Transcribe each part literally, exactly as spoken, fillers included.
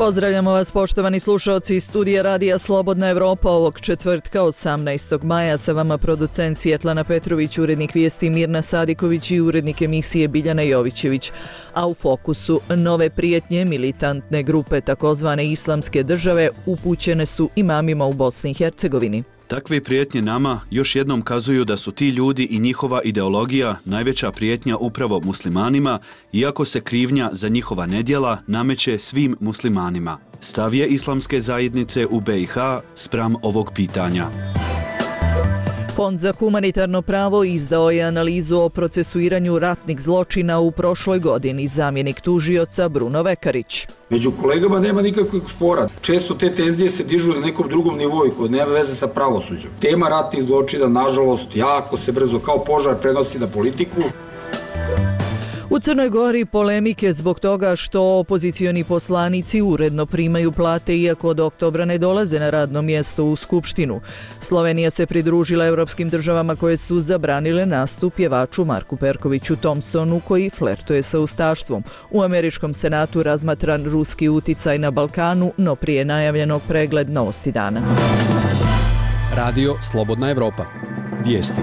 Pozdravljamo vas, poštovani slušaoci iz studija Radija Slobodna Evropa. Ovog četvrtka, osamnaestog maja, sa vama producent Svjetlana Petrović, urednik vijesti Mirna Sadiković i urednik emisije Biljana Jovićević. A u fokusu nove prijetnje militantne grupe takozvane Islamske države upućene su imamima u Bosni i Hercegovini. Takve prijetnje nama još jednom kazuju da su ti ljudi i njihova ideologija najveća prijetnja upravo muslimanima, iako se krivnja za njihova nedjela nameće svim muslimanima. Stav je islamske zajednice u B i H spram ovog pitanja. Fond za humanitarno pravo izdao je analizu o procesuiranju ratnih zločina u prošloj godini. Zamjenik tužioca Bruno Vekarić. Među kolegama nema nikakvog spora. Često te tenzije se dižu na nekom drugom nivou koji nema veze sa pravosuđem. Tema ratnih zločina, nažalost, jako se brzo kao požar prenosi na politiku. U Crnoj Gori polemike zbog toga što opozicioni poslanici uredno primaju plate iako od oktobra ne dolaze na radno mjesto u Skupštinu. Slovenija se pridružila evropskim državama koje su zabranile nastup pjevaču Marku Perkoviću Thompsonu koji flertuje sa ustaštvom. U američkom senatu razmatran ruski uticaj na Balkanu, no prije najavljenog pregled novosti dana. Radio Slobodna Evropa. Vijesti.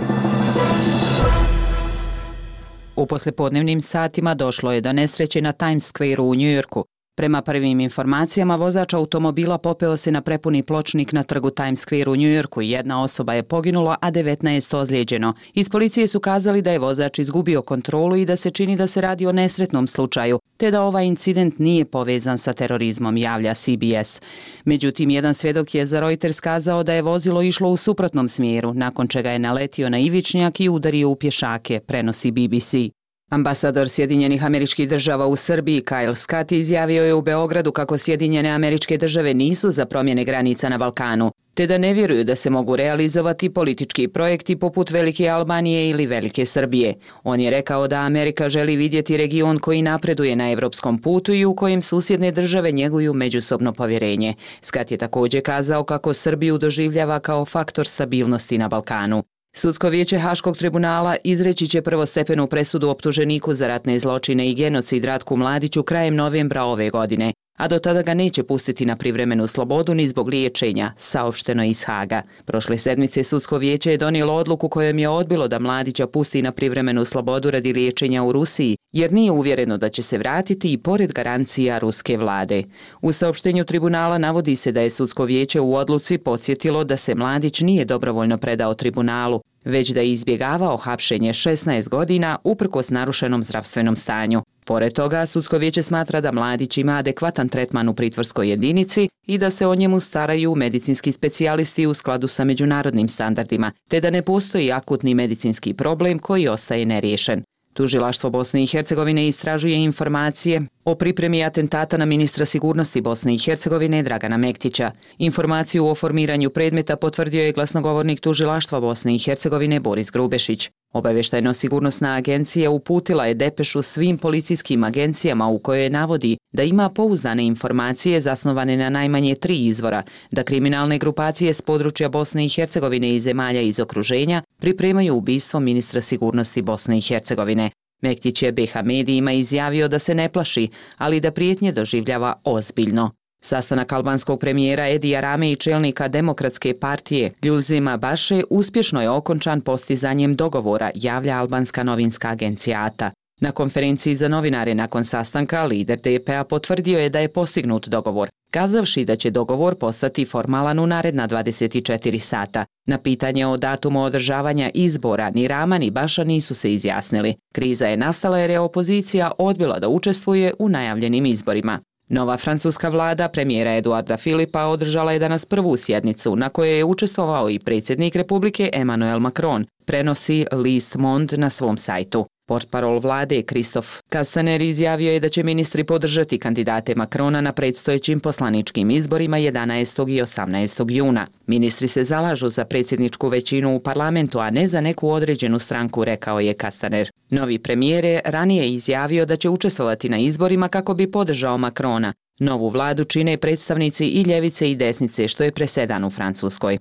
U poslijepodnevnim satima došlo je do nesreće na Times Square u Njujorku. Prema prvim informacijama, vozač automobila popeo se na prepuni pločnik na trgu Times Square u Njujorku. Jedna osoba je poginula, a devetnaest ozlijeđeno. Iz policije su kazali da je vozač izgubio kontrolu i da se čini da se radi o nesretnom slučaju, te da ovaj incident nije povezan sa terorizmom, javlja C B S. Međutim, jedan svjedok je za Reuters kazao da je vozilo išlo u suprotnom smjeru, nakon čega je naletio na ivičnjak i udario u pješake, prenosi B B C. Ambasador Sjedinjenih Američkih Država u Srbiji Kyle Scott izjavio je u Beogradu kako Sjedinjene Američke Države nisu za promjene granica na Balkanu, te da ne vjeruju da se mogu realizovati politički projekti poput Velike Albanije ili Velike Srbije. On je rekao da Amerika želi vidjeti region koji napreduje na evropskom putu i u kojem susjedne države njeguju međusobno povjerenje. Scott je također kazao kako Srbiju doživljava kao faktor stabilnosti na Balkanu. Sudsko vijeće Haškog tribunala izreći će prvostepenu presudu optuženiku za ratne zločine i genocid Ratku Mladiću krajem novembra ove godine, a do tada ga neće pustiti na privremenu slobodu ni zbog liječenja, saopšteno iz Haga. Prošle sedmice Sudsko vijeće je donijelo odluku kojom je odbilo da Mladića pusti na privremenu slobodu radi liječenja u Rusiji, jer nije uvjereno da će se vratiti i pored garancija ruske vlade. U saopštenju tribunala navodi se da je Sudsko vijeće u odluci podsjetilo da se Mladić nije dobrovoljno predao tribunalu, već da je izbjegavao hapšenje šesnaest godina uprkos narušenom zdravstvenom stanju. Pored toga, Sudsko vijeće smatra da Mladić ima adekvatan tretman u pritvorskoj jedinici i da se o njemu staraju medicinski specijalisti u skladu sa međunarodnim standardima, te da ne postoji akutni medicinski problem koji ostaje neriješen. Tužilaštvo Bosne i Hercegovine istražuje informacije o pripremi atentata na ministra sigurnosti Bosne i Hercegovine Dragana Mektića. Informaciju o formiranju predmeta potvrdio je glasnogovornik Tužilaštva Bosne i Hercegovine Boris Grubešić. Obavještajno-sigurnosna agencija uputila je depešu svim policijskim agencijama u kojoj navodi da ima pouzdane informacije zasnovane na najmanje tri izvora, da kriminalne grupacije s područja Bosne i Hercegovine i zemalja iz okruženja pripremaju ubistvo ministra sigurnosti Bosne i Hercegovine. Mektić je B H medijima izjavio da se ne plaši, ali da prijetnje doživljava ozbiljno. Sastanak albanskog premijera Edija Rame i čelnika Demokratske partije Ljulzima Baše uspješno je okončan postizanjem dogovora, javlja albanska novinska agencija A T A. Na konferenciji za novinare nakon sastanka lider D P A potvrdio je da je postignut dogovor, kazavši da će dogovor postati formalan u naredna dvadeset četiri sata. Na pitanje o datumu održavanja izbora ni Rama ni Baša nisu se izjasnili. Kriza je nastala jer je opozicija odbila da učestvuje u najavljenim izborima. Nova francuska vlada premijera Eduarda Filipa održala je danas prvu sjednicu na kojoj je učestvovao i predsjednik Republike Emmanuel Macron, prenosi list Monde na svom sajtu. Portparol vlade Kristof Kastaner izjavio je da će ministri podržati kandidate Macrona na predstojećim poslaničkim izborima jedanaestog i osamnaestog juna. Ministri se zalažu za predsjedničku većinu u parlamentu, a ne za neku određenu stranku, rekao je Kastaner. Novi premijer je ranije izjavio da će učestvovati na izborima kako bi podržao Macrona. Novu vladu čine predstavnici i ljevice i desnice, što je presedan u Francuskoj.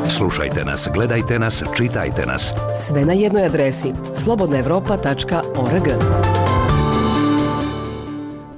Slušajte nas, gledajte nas, čitajte nas. Sve na jednoj adresi slobodna evropa tačka org.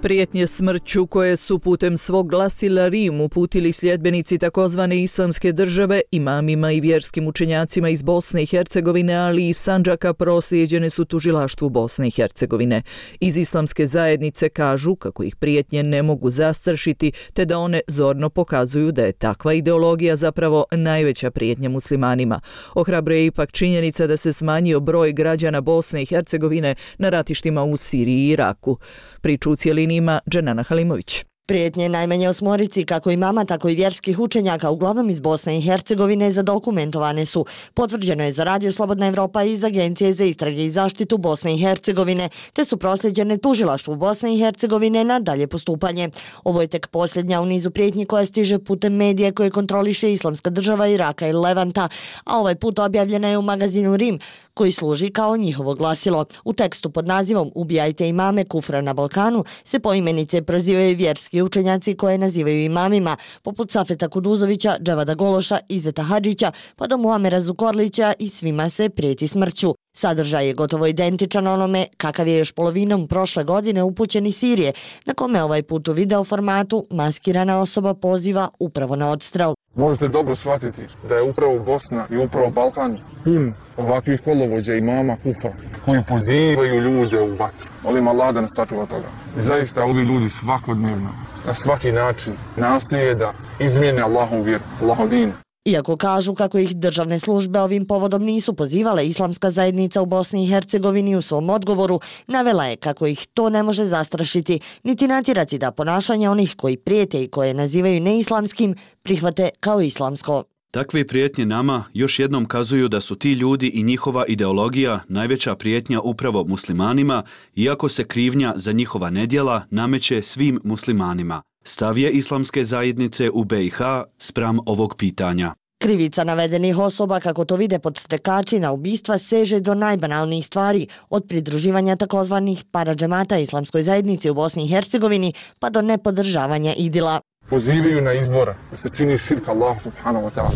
Prijetnje smrću koje su putem svog glasila Rim uputili sljedbenici takozvane islamske države, imamima i vjerskim učenjacima iz Bosne i Hercegovine, ali i Sandžaka, proslijeđene su tužilaštvu Bosne i Hercegovine. Iz islamske zajednice kažu kako ih prijetnje ne mogu zastrašiti, te da one zorno pokazuju da je takva ideologija zapravo najveća prijetnja muslimanima. Ohrabruje ipak činjenica da se smanjio broj građana Bosne i Hercegovine na ratištima u Siriji i Iraku. Priču u cjelini ima Dženana Halimović. Prijetnje najmanje osmorici, kako imama, tako i vjerskih učenjaka, uglavnom iz Bosne i Hercegovine, zadokumentovane su. Potvrđeno je za Radio Slobodna Evropa iz Agencije za istrage i zaštitu Bosne i Hercegovine, te su prosljeđene tužilaštvu Bosne i Hercegovine na dalje postupanje. Ovo je tek posljednja u nizu prijetnji koja stiže putem medija koje kontroliše Islamska država Iraka i Levanta, a ovaj put objavljena je u magazinu Rim, koji služi kao njihovo glasilo. U tekstu pod nazivom "Ubijajte imame kufra na Balkanu" se poimenice prozivaju vjerski učenjaci koje nazivaju imamima, poput Safeta Kuduzovića, Džavada Gološa, Izeta Hadžića, pa do Muamera Zukorlića, i svima se prijeti smrću. Sadržaj je gotovo identičan onome kakav je još polovinom prošle godine upućen iz Sirije, na kome ovaj put u video formatu maskirana osoba poziva upravo na odstrel. Možete dobro shvatiti da je upravo Bosna i upravo Balkan pun ovakvih kolovođa imama kufra koji pozivaju ljude u vatru. Molim Allah da nas sačuva toga. Zaista ovi ljudi svakodnevno, na svaki način nastoje da izmijene Allahovu vjeru, Allahov din. Iako kažu kako ih državne službe ovim povodom nisu pozivale, islamska zajednica u Bosni i Hercegovini u svom odgovoru navela je kako ih to ne može zastrašiti, niti natjerati da ponašanje onih koji prijete i koje nazivaju neislamskim prihvate kao islamsko. Takve prijetnje nama još jednom kazuju da su ti ljudi i njihova ideologija najveća prijetnja upravo muslimanima, iako se krivnja za njihova nedjela nameće svim muslimanima. Stav je islamske zajednice u B i H spram ovog pitanja. Krivica navedenih osoba, kako to vide podstrekači na ubistva, seže do najbanalnijih stvari, od pridruživanja takozvanih paradžemata islamskoj zajednici u Bosni i Hercegovini pa do nepodržavanja idila. Pozivaju na izbora da se čini širk Allah subhanahu wa ta'ala.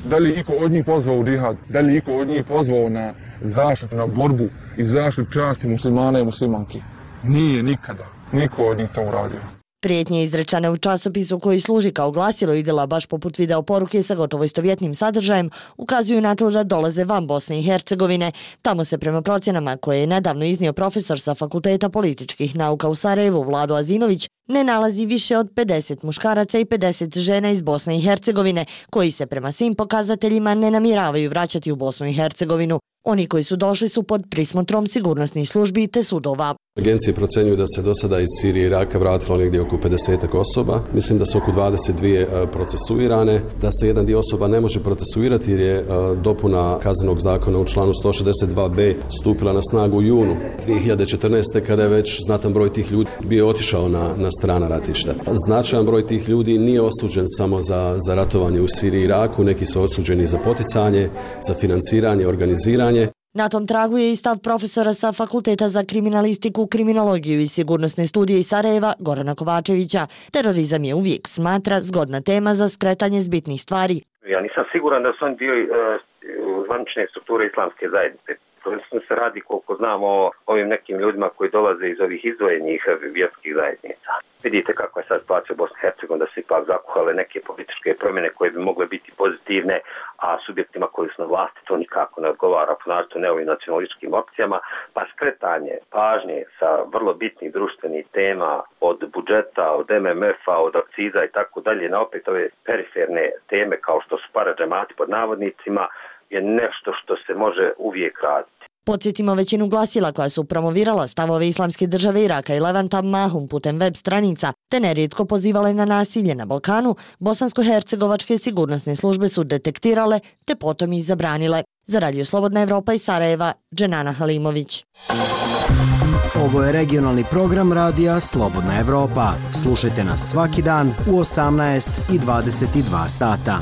Da li iko od njih pozvao u džihad? Da li iko od njih pozvao na zaštitu, na borbu i zaštitu časti muslimana i muslimanki? Nije nikada. Niko od njih to uradio. Prijetnje izrečane u časopisu koji služi kao glasilo idila, baš poput video poruke sa gotovo istovjetnim sadržajem, ukazuju na to da dolaze van Bosne i Hercegovine. Tamo se prema procjenama koje je nedavno iznio profesor sa Fakulteta političkih nauka u Sarajevu Vlado Azinović, ne nalazi više od pedeset muškaraca i pedeset žena iz Bosne i Hercegovine, koji se prema svim pokazateljima ne namjeravaju vraćati u Bosnu i Hercegovinu. Oni koji su došli su pod prismotrom sigurnosnih službi te sudova. Agencije procjenjuju da se do sada iz Sirije i Iraka vratilo negdje oko pedesetak osoba. Mislim da su oko dvadeset dvije procesuirane, da se jedan dio osoba ne može procesuirati jer je dopuna kaznenog zakona u članu sto šezdeset dva be stupila na snagu u junu dvije hiljade četrnaeste. kada je već znatan broj tih ljudi bio otišao na, na strana ratišta. Značajan broj tih ljudi nije osuđen samo za, za ratovanje u Siriji i Iraku, neki su osuđeni za poticanje, za financiranje, organiziranje. Na tom tragu je i stav profesora sa Fakulteta za kriminalistiku, kriminologiju i sigurnosne studije iz Sarajeva, Gorana Kovačevića. Terorizam je uvijek, smatra, zgodna tema za skretanje s bitnih stvari. Ja nisam siguran da su oni dio uh, zvanične strukture islamske zajednice. Prvenstveno se radi, koliko znamo, o ovim nekim ljudima koji dolaze iz ovih izdvojenih vjerskih zajednica. Vidite kako je sad situacija u Bosni i Hercegovini, da se ipak zakuhale neke političke promjene koje bi mogle biti pozitivne, a subjektima koji su na vlasti to nikako ne odgovara, ponašto ne ovim nacionalističkim opcijama, pa skretanje pažnje sa vrlo bitnih društvenih tema, od budžeta, od M M F-a, od akciza i tako dalje, na opet ove periferne teme kao što su paradžemati pod navodnicima, je nešto što se može uvijek raditi. Podsjetimo većinu glasila koja su promovirala stavove islamske države Iraka i Levanta mahom putem web stranica, te nerijetko pozivale na nasilje na Balkanu, bosansko-hercegovačke sigurnosne službe su detektirale te potom ih zabranile. Za Radio Slobodna Evropa iz Sarajeva, Dženana Halimović. Ovo je regionalni program Radija Slobodna Evropa. Slušajte nas svaki dan u osamnaest i dvadeset dva sata.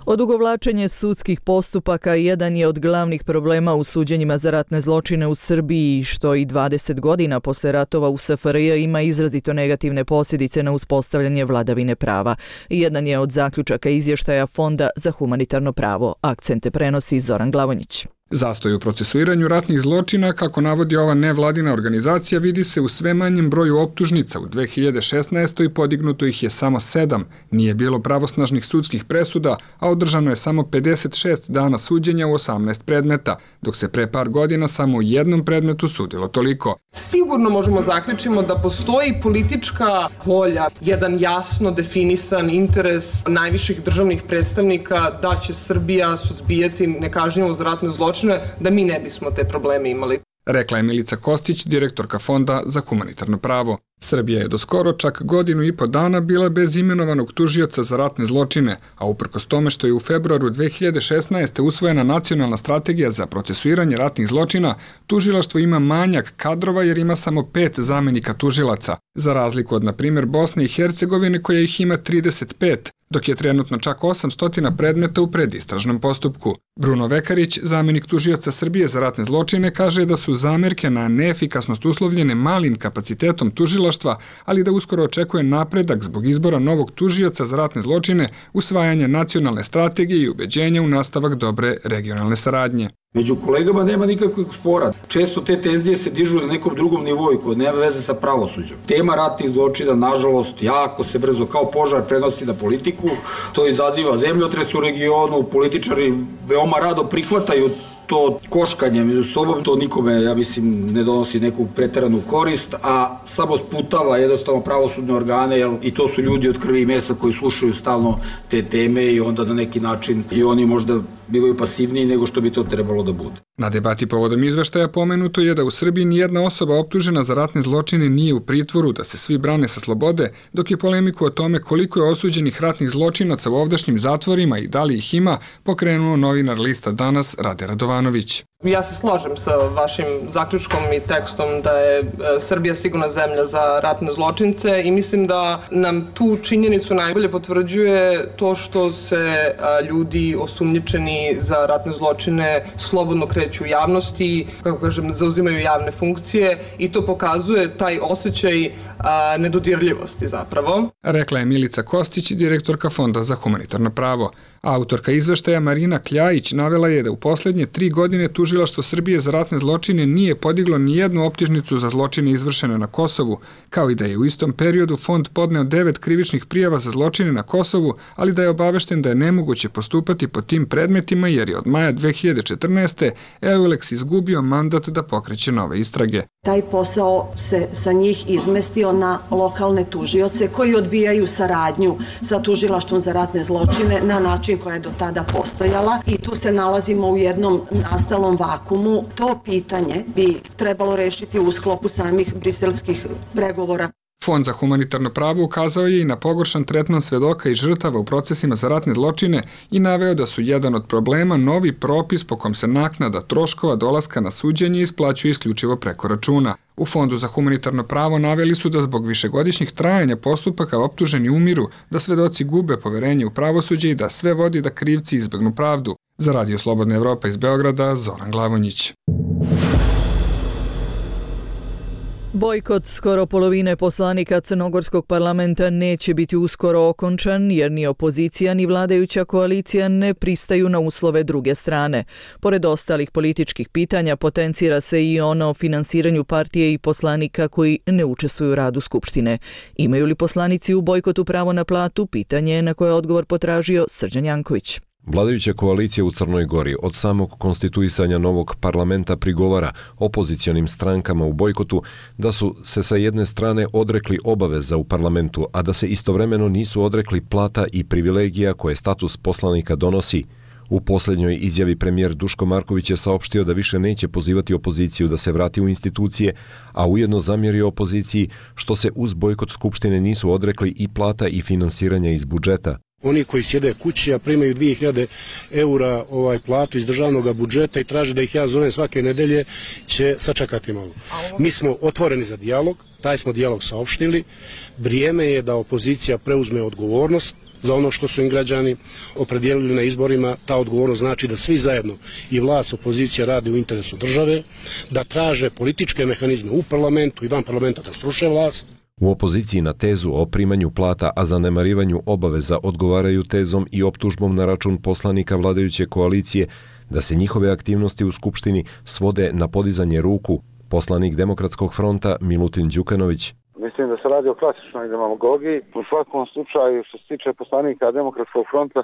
Odugovlačenje sudskih postupaka jedan je od glavnih problema u suđenjima za ratne zločine u Srbiji, što i dvadeset godina posle ratova u S F R J ima izrazito negativne posljedice na uspostavljanje vladavine prava. Jedan je od zaključaka izvještaja Fonda za humanitarno pravo. Akcente prenosi Zoran Glavonjić. Zastoj u procesuiranju ratnih zločina, kako navodi ova nevladina organizacija, vidi se u sve manjem broju optužnica. U dve hiljade šesnaestoj podignuto ih je samo sedam. Nije bilo pravosnažnih sudskih presuda, a održano je samo pedeset šest dana suđenja u osamnaest predmeta, dok se pre par godina samo u jednom predmetu sudilo toliko. Sigurno možemo zaključiti da postoji politička volja, jedan jasno definisan interes najviših državnih predstavnika da će Srbija suzbijati nekažnjivost za ratne zločine, da mi ne bismo te probleme imali. Rekla je Milica Kostić, direktorka Fonda za humanitarno pravo. Srbija je do skoro čak godinu i po dana bila bez imenovanog tužioca za ratne zločine, a uprkos tome što je u februaru dve hiljade šesnaeste usvojena nacionalna strategija za procesuiranje ratnih zločina, tužilaštvo ima manjak kadrova jer ima samo pet zamenika tužilaca, za razliku od, na primjer, Bosne i Hercegovine koja ih ima trideset pet, dok je trenutno čak osamsto predmeta u predistražnom postupku. Bruno Vekarić, zamenik tužioca Srbije za ratne zločine, kaže da su zamerke na neefikasnost uslovljene malim kapacitetom tužilaštva, ali da uskoro očekuje napredak zbog izbora novog tužioca za ratne zločine, usvajanje nacionalne strategije i ubeđenja u nastavak dobre regionalne saradnje. Među kolegama nema nikakvih spora. Često te tenzije se dižu na nekom drugom nivoju koji nema veze sa pravosuđem. Tema ratnih zločina, nažalost, jako se brzo kao požar prenosi na politiku. To izaziva zemljotres u regionu, političari veoma rado prihvataju to koškanje među sobom, to nikome, ja mislim, ne donosi neku preteranu korist, a samo sputava jednostavno pravosudne organe, jer i to su ljudi od krvi i mesa koji slušaju stalno te teme i onda na neki način i oni možda bivaju pasivniji nego što bi to trebalo da bude. Na debati povodom izveštaja pomenuto je da u Srbiji nijedna osoba optužena za ratne zločine nije u pritvoru, da se svi brane sa slobode, dok je polemiku o tome koliko je osuđenih ratnih zločinaca u ovdašnjim zatvorima i da li ih ima pokrenuo novinar lista Danas Rade Radovanović. Ja se slažem sa vašim zaključkom i tekstom da je Srbija sigurna zemlja za ratne zločince i mislim da nam tu činjenicu najbolje potvrđuje to što se ljudi osumnjičeni za ratne zločine slobodno kreću u javnosti, kako kažem, zauzimaju javne funkcije i to pokazuje taj osjećaj nedodirljivosti zapravo. Rekla je Milica Kostić, direktorka Fonda za humanitarno pravo. Autorka izveštaja Marina Kljajić navela je da u poslednje tri godine Tužilaštvo Srbije za ratne zločine nije podiglo ni jednu optužnicu za zločine izvršene na Kosovu, kao i da je u istom periodu fond podneo devet krivičnih prijava za zločine na Kosovu, ali da je obavešten da je nemoguće postupati po tim predmetima jer je od maja dve hiljade četrnaeste. Eulex izgubio mandat da pokreće nove istrage. Taj posao se sa njih izmestio na lokalne tužioce koji odbijaju saradnju sa Tužilaštvom za ratne zločine na način koja je do tada postojala i tu se nalazimo u jednom nastalom vakumu. To pitanje bi trebalo rešiti u sklopu samih briselskih pregovora. Fond za humanitarno pravo ukazao je i na pogoršan tretman svedoka i žrtava u procesima za ratne zločine i naveo da su jedan od problema novi propis po kom se naknada troškova dolaska na suđenje isplaćuje isključivo preko računa. U Fondu za humanitarno pravo naveli su da zbog višegodišnjih trajanja postupaka optuženi umiru, da svedoci gube poverenje u pravosuđe i da sve vodi da krivci izbegnu pravdu. Za Radio Slobodna Evropa iz Beograda, Zoran Glavonjić. Bojkot skoro polovine poslanika Crnogorskog parlamenta neće biti uskoro okončan jer ni opozicija ni vladajuća koalicija ne pristaju na uslove druge strane. Pored ostalih političkih pitanja potencira se i ono o finansiranju partije i poslanika koji ne učestvuju u radu Skupštine. Imaju li poslanici u bojkotu pravo na platu? Pitanje je na koje je odgovor potražio Srđan Janković. Vladajuća koalicija u Crnoj Gori od samog konstituisanja novog parlamenta prigovara opozicionim strankama u bojkotu da su se sa jedne strane odrekli obaveza u parlamentu, a da se istovremeno nisu odrekli plata i privilegija koje status poslanika donosi. U posljednjoj izjavi premijer Duško Marković je saopštio da više neće pozivati opoziciju da se vrati u institucije, a ujedno zamjerio opoziciji što se uz bojkot Skupštine nisu odrekli i plata i finansiranja iz budžeta. Oni koji sjede kući, a primaju dvije hiljade eura ovaj platu iz državnog budžeta i traže da ih ja zovem svake nedelje, će sačekati malo. Mi smo otvoreni za dijalog, taj smo dijalog saopštili. Vrijeme je da opozicija preuzme odgovornost za ono što su im građani opredijelili na izborima. Ta odgovornost znači da svi zajedno, i vlast, opozicija, radi u interesu države, da traže političke mehanizme u parlamentu i van parlamenta da sruše vlast. U opoziciji na tezu o primanju plata, a zanemarivanju obaveza odgovaraju tezom i optužbom na račun poslanika vladajuće koalicije da se njihove aktivnosti u Skupštini svode na podizanje ruku. Poslanik Demokratskog fronta Milutin Đukanović. Mislim da se radi o klasičnoj demagogiji. U svakom slučaju, što se tiče poslanika Demokratskog fronta,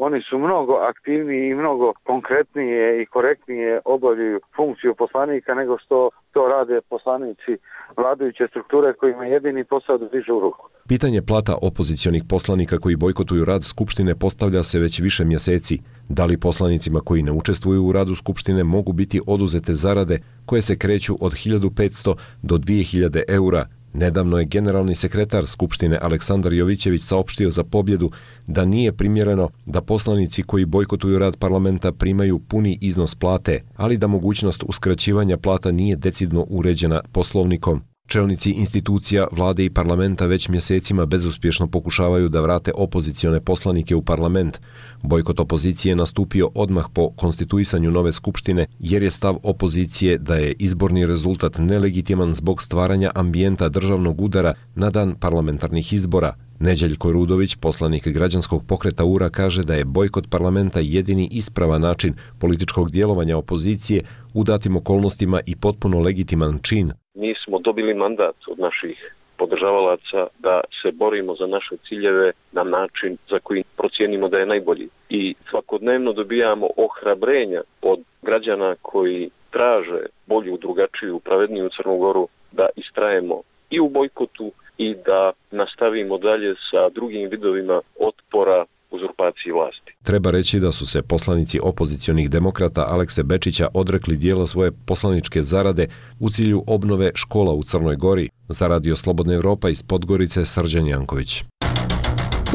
oni su mnogo aktivniji i mnogo konkretnije i korektnije obavljaju funkciju poslanika nego što to rade poslanici vladajuće strukture kojima je jedini posao da dižu ruku. Pitanje plata opozicionih poslanika koji bojkotuju rad Skupštine postavlja se već više mjeseci. Da li poslanicima koji ne učestvuju u radu Skupštine mogu biti oduzete zarade koje se kreću od hiljadu petsto do dvije hiljade eura? Nedavno je generalni sekretar Skupštine Aleksandar Jovićević saopštio za Pobjedu da nije primjereno da poslanici koji bojkotuju rad parlamenta primaju puni iznos plate, ali da mogućnost uskraćivanja plata nije decidno uređena poslovnikom. Čelnici institucija, vlade i parlamenta već mjesecima bezuspješno pokušavaju da vrate opozicione poslanike u parlament. Bojkot opozicije nastupio odmah po konstituisanju nove skupštine jer je stav opozicije da je izborni rezultat nelegitiman zbog stvaranja ambijenta državnog udara na dan parlamentarnih izbora. Neđeljko Rudović, poslanik građanskog pokreta U R A, kaže da je bojkot parlamenta jedini ispravan način političkog djelovanja opozicije u datim okolnostima i potpuno legitiman čin. Mi smo dobili mandat od naših podržavalaca da se borimo za naše ciljeve na način za koji procijenimo da je najbolji. I svakodnevno dobijamo ohrabrenja od građana koji traže bolju, drugačiju, pravedniju Crnu Goru da istrajemo i u bojkotu i da nastavimo dalje sa drugim vidovima otpora uzurpaciji vlasti. Treba reći da su se poslanici opozicionih demokrata Alekse Bečića odrekli dijela svoje poslaničke zarade u cilju obnove škola u Crnoj Gori. Za Radio Slobodna Evropa iz Podgorice, Srđan Janković.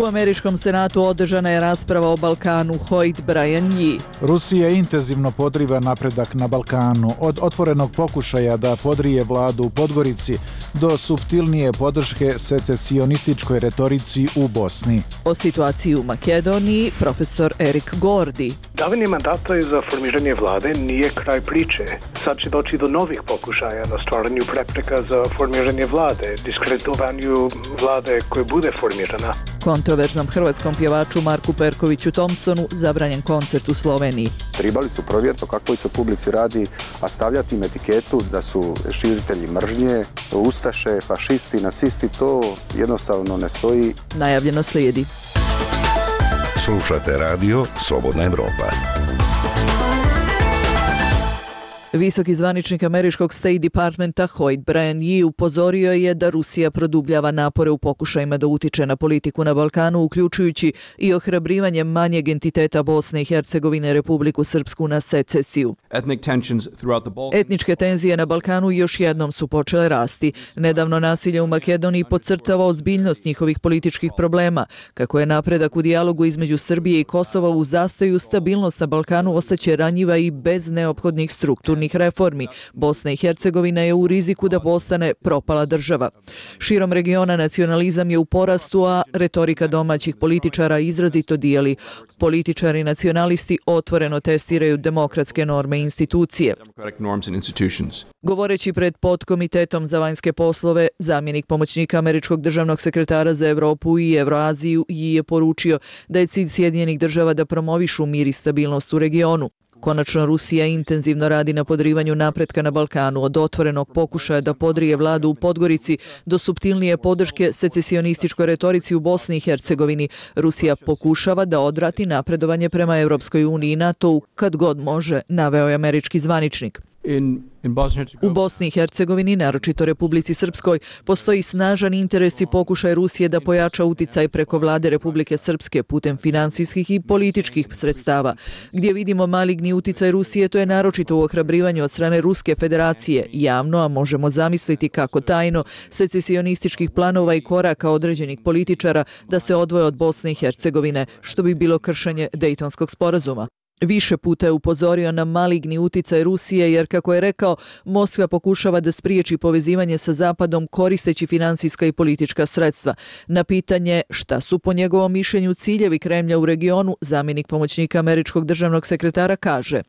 U američkom senatu održana je rasprava o Balkanu. Hoyt Brian Yee. Rusija intenzivno podriva napredak na Balkanu. Od otvorenog pokušaja da podrije vladu u Podgorici do suptilnije podrške secesionističkoj retorici u Bosni. O situaciji u Makedoniji profesor Erik Gordi. Davanje mandata za formiranje vlade nije kraj priče. Sad će doći do novih pokušaja na stvaranju prepreka za formiranje vlade, diskreditovanju vlade koje bude formirana. Kontroverznom hrvatskom pjevaču Marku Perkoviću Thompsonu zabranjen koncert u Sloveniji. Trebali su provjeriti o kakvoj se publici radi, a stavljati im etiketu da su širitelji mržnje, ustaše, fašisti, nacisti, to jednostavno ne stoji. Najavljeno slijedi. Slušate radio Slobodna Evropa. Visoki zvaničnik američkog State Departmenta Hoyt Brian Yee upozorio je da Rusija produbljava napore u pokušajima da utiče na politiku na Balkanu, uključujući i ohrabrivanje manjeg entiteta Bosne i Hercegovine, Republiku Srpsku, na secesiju. Etničke tenzije na Balkanu još jednom su počele rasti. Nedavno nasilje u Makedoniji podcrtava ozbiljnost njihovih političkih problema. Kako je napredak u dijalogu između Srbije i Kosova u zastoju, stabilnost na Balkanu ostaće ranjiva i bez neophodnih strukturnih reformi. Bosna i Hercegovina je u riziku da postane propala država. Širom regiona nacionalizam je u porastu, a retorika domaćih političara izrazito dijeli. Političari i nacionalisti otvoreno testiraju demokratske norme i institucije. Govoreći pred podkomitetom za vanjske poslove, zamjenik pomoćnika američkog državnog sekretara za Evropu i Evroaziju je poručio da je cilj Sjedinjenih država da promovišu mir i stabilnost u regionu. Konačno, Rusija intenzivno radi na podrivanju napretka na Balkanu, od otvorenog pokušaja da podrije vladu u Podgorici do suptilnije podrške secesionističkoj retorici u Bosni i Hercegovini. Rusija pokušava da odvrati napredovanje prema Europskoj uniji i NATO-u kad god može, naveo je američki zvaničnik. U Bosni i Hercegovini, naročito Republici Srpskoj, postoji snažan interes i pokušaj Rusije da pojača uticaj preko vlade Republike Srpske putem finansijskih i političkih sredstava. Gdje vidimo maligni uticaj Rusije, to je naročito u ohrabrivanju od strane Ruske federacije, javno, a možemo zamisliti kako tajno, secesionističkih planova i koraka određenih političara da se odvoje od Bosne i Hercegovine, što bi bilo kršenje Dejtonskog sporazuma. Više puta je upozorio na maligni uticaj Rusije jer, kako je rekao, Moskva pokušava da spriječi povezivanje sa Zapadom koristeći finansijska i politička sredstva. Na pitanje šta su po njegovom mišljenju ciljevi Kremlja u regionu, zamjenik pomoćnika američkog državnog sekretara kaže: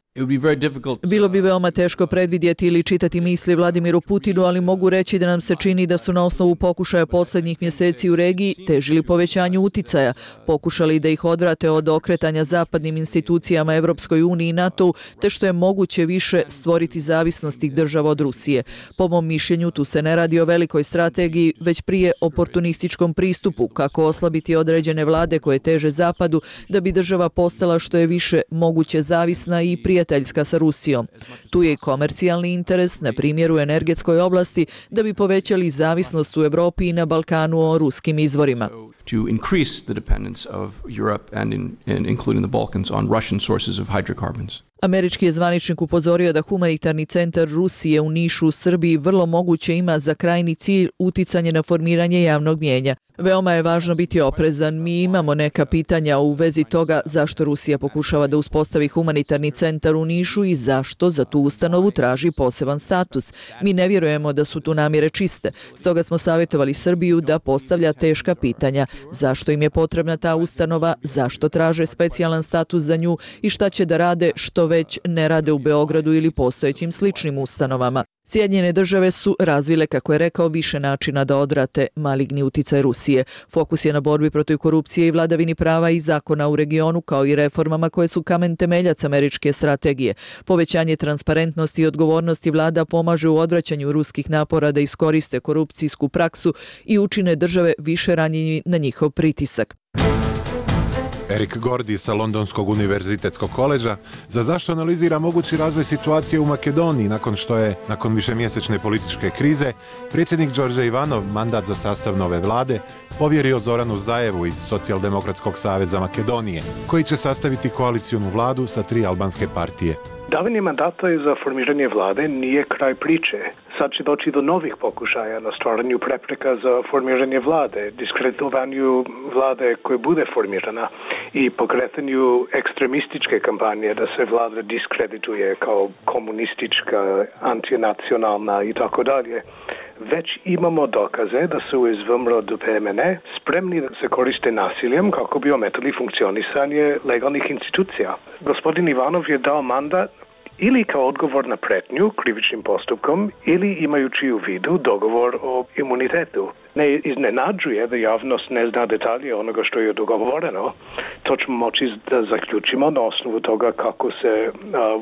Bilo bi veoma teško predvidjeti ili čitati misli Vladimiru Putinu, ali mogu reći da nam se čini da su na osnovu pokušaja posljednjih mjeseci u regiji težili povećanju uticaja, pokušali da ih odvrate od okretanja zapadnim institucijama Evropskoj uniji i NATO-u, te što je moguće više stvoriti zavisnost tih država od Rusije. Po mom mišljenju, tu se ne radi o velikoj strategiji, već prije oportunističkom pristupu, kako oslabiti određene vlade koje teže zapadu, da bi država postala što je više moguće zavisna i prijateljska sa Rusijom. Tu je i komercijalni interes, na primjer u energetskoj oblasti, da bi povećali zavisnost u Evropi i na Balkanu o ruskim izvorima. To increase the dependence of Europe and in, in including the Balkans on Russian sources of hydrocarbons. Američki je zvaničnik upozorio da humanitarni centar Rusije u Nišu u Srbiji vrlo moguće ima za krajni cilj uticanje na formiranje javnog mnijenja. Veoma je važno biti oprezan. Mi imamo neka pitanja u vezi toga zašto Rusija pokušava da uspostavi humanitarni centar u Nišu i zašto za tu ustanovu traži poseban status. Mi ne vjerujemo da su tu namjere čiste. Stoga smo savjetovali Srbiju da postavlja teška pitanja. Zašto im je potrebna ta ustanova, zašto traže specijalan status za nju i šta će da rade što već ne rade u Beogradu ili postojećim sličnim ustanovama. Sjedinjene države su razvile, kako je rekao, više načina da odvrate maligni uticaj Rusije. Fokus je na borbi protiv korupcije i vladavini prava i zakona u regionu, kao i reformama koje su kamen temeljac američke strategije. Povećanje transparentnosti i odgovornosti vlada pomaže u odvraćanju ruskih napora da iskoriste korupcijsku praksu i učine države više ranjivi na njihov pritisak. Erik Gordi sa Londonskog univerzitetskog koleđa za zašto analizira mogući razvoj situacije u Makedoniji nakon što je, nakon višemjesečne političke krize, predsjednik Đorđe Ivanov mandat za sastav nove vlade povjerio Zoranu Zajevu iz Socijaldemokratskog saveza Makedonije, koji će sastaviti koalicijonu vladu sa tri albanske partije. Davanje mandata za formiranje vlade nije kraj priče. Sad će doći do novih pokušaja na stvaranju prepreka za formiranje vlade, diskreditovanju vlade koje bude formirana i pokretanju ekstremističke kampanje da se vlada diskredituje kao komunistička, antinacionalna i tako dalje. Već imamo dokaze da su iz V M R O D P M N spremni da se koriste nasiljem kako bi ometali funkcionisanje legalnih institucija. Gospodin Ivanov je dao mandat ili kao odgovor na pretnju krivičnim postupkom ili imajući u vidu dogovor o imunitetu. Ne iznenađuje da javnost ne zna detalje onoga što je dogovoreno. To ćemo moći da zaključimo na osnovu toga kako se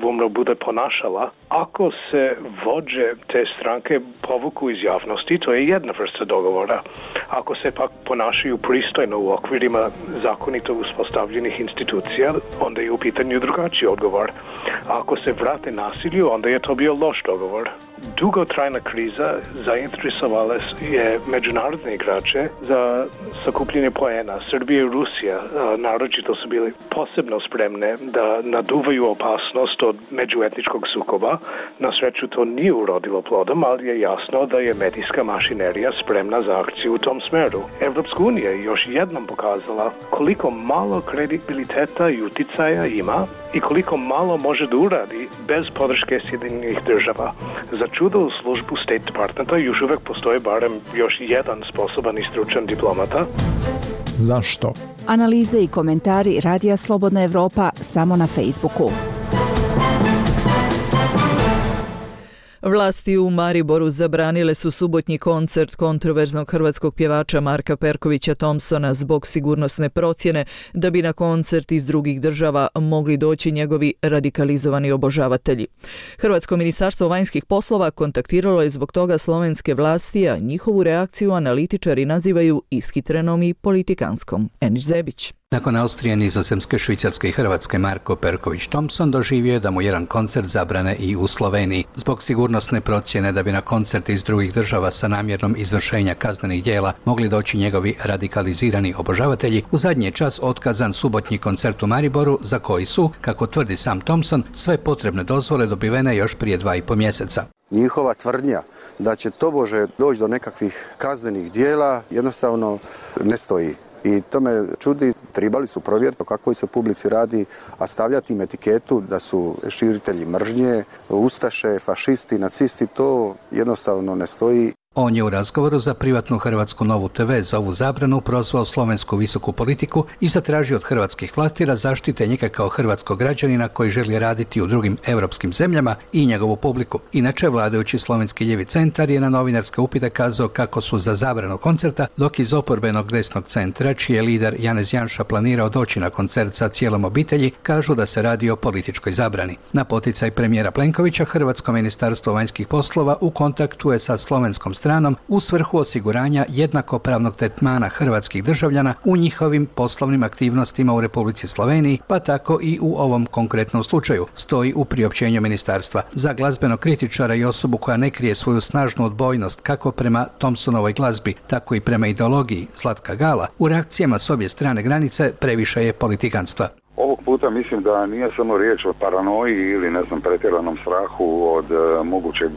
V M R O bude ponašala. Ako se vođe te stranke povuku iz javnosti, to je jedna vrsta dogovora. Ako se pak ponašaju pristojno u okvirima zakonito uspostavljenih institucija, onda je u pitanju drugačiji odgovor. Ako se vrate nasilju, onda je to bio loš dogovor. Dugotrajna kriza zainteresovala je međunarodne igrače za sakupljanje poena. Srbija i Rusija naročito su bili posebno spremne da naduvaju opasnost od međuetničkog sukoba. Na sreću to nije urodilo plodom, ali je jasno da je medijska mašinerija spremna za akciju u tom smeru. Evropska unija je još jednom pokazala koliko malo kredibiliteta i uticaja ima i koliko malo može da uradi bez podrške Sjedinjenih država. Za čudo u službu State Departmenta još uvek postoji barem još jedan sposoban i stručan diplomata. Zašto? Analize i komentari Radija Slobodna Evropa samo na Facebooku. Vlasti u Mariboru zabranile su subotnji koncert kontroverznog hrvatskog pjevača Marka Perkovića Thompsona zbog sigurnosne procjene da bi na koncert iz drugih država mogli doći njegovi radikalizovani obožavatelji. Hrvatsko ministarstvo vanjskih poslova kontaktiralo je zbog toga slovenske vlasti, a njihovu reakciju analitičari nazivaju ishitrenom i politikanskom. Eniš Zebić. Nakon Austrije, Nizozemske, Švicarske i Hrvatske, Marko Perković Thompson doživio je da mu jedan koncert zabrane i u Sloveniji. Zbog sigurnosne procjene da bi na koncerte iz drugih država sa namjernom izvršenja kaznenih djela mogli doći njegovi radikalizirani obožavatelji, u zadnji je čas otkazan subotnji koncert u Mariboru, za koji su, kako tvrdi sam Thompson, sve potrebne dozvole dobivene još prije dva i po mjeseca. Njihova tvrdnja da će tobože doći do nekakvih kaznenih djela jednostavno ne stoji. I to me čudi, trebali su provjeriti o kakvoj se publici radi, a stavljati im etiketu da su širitelji mržnje, ustaše, fašisti, nacisti, to jednostavno ne stoji. On je u razgovoru za privatnu hrvatsku Novu te ve za ovu zabranu prozvao slovensku visoku politiku i zatražio od hrvatskih vlasti da zaštite njega kao hrvatskog građanina koji želi raditi u drugim europskim zemljama i njegovu publiku. Inače, vladajući slovenski ljevi centar je na novinarske upite kazao kako su za zabranu koncerta, dok iz oporbenog desnog centra, čiji je lider Janez Janša planirao doći na koncert sa cijelom obitelji, kažu da se radi o političkoj zabrani. Na poticaj premijera Plenkovića, Hrvatsko ministarstvo vanjskih poslova u kontaktu je sa slovenskom stranom u svrhu osiguranja jednakopravnog tretmana hrvatskih državljana u njihovim poslovnim aktivnostima u Republici Sloveniji, pa tako i u ovom konkretnom slučaju, stoji u priopćenju ministarstva. Za glazbenog kritičara i osobu koja ne krije svoju snažnu odbojnost kako prema Thompsonovoj glazbi, tako i prema ideologiji Zlatka Gala, u reakcijama s obje strane granice previše je politikanstva. Ovog puta mislim da nije samo riječ o paranoji ili ne znam pretjeranom strahu od e, mogućeg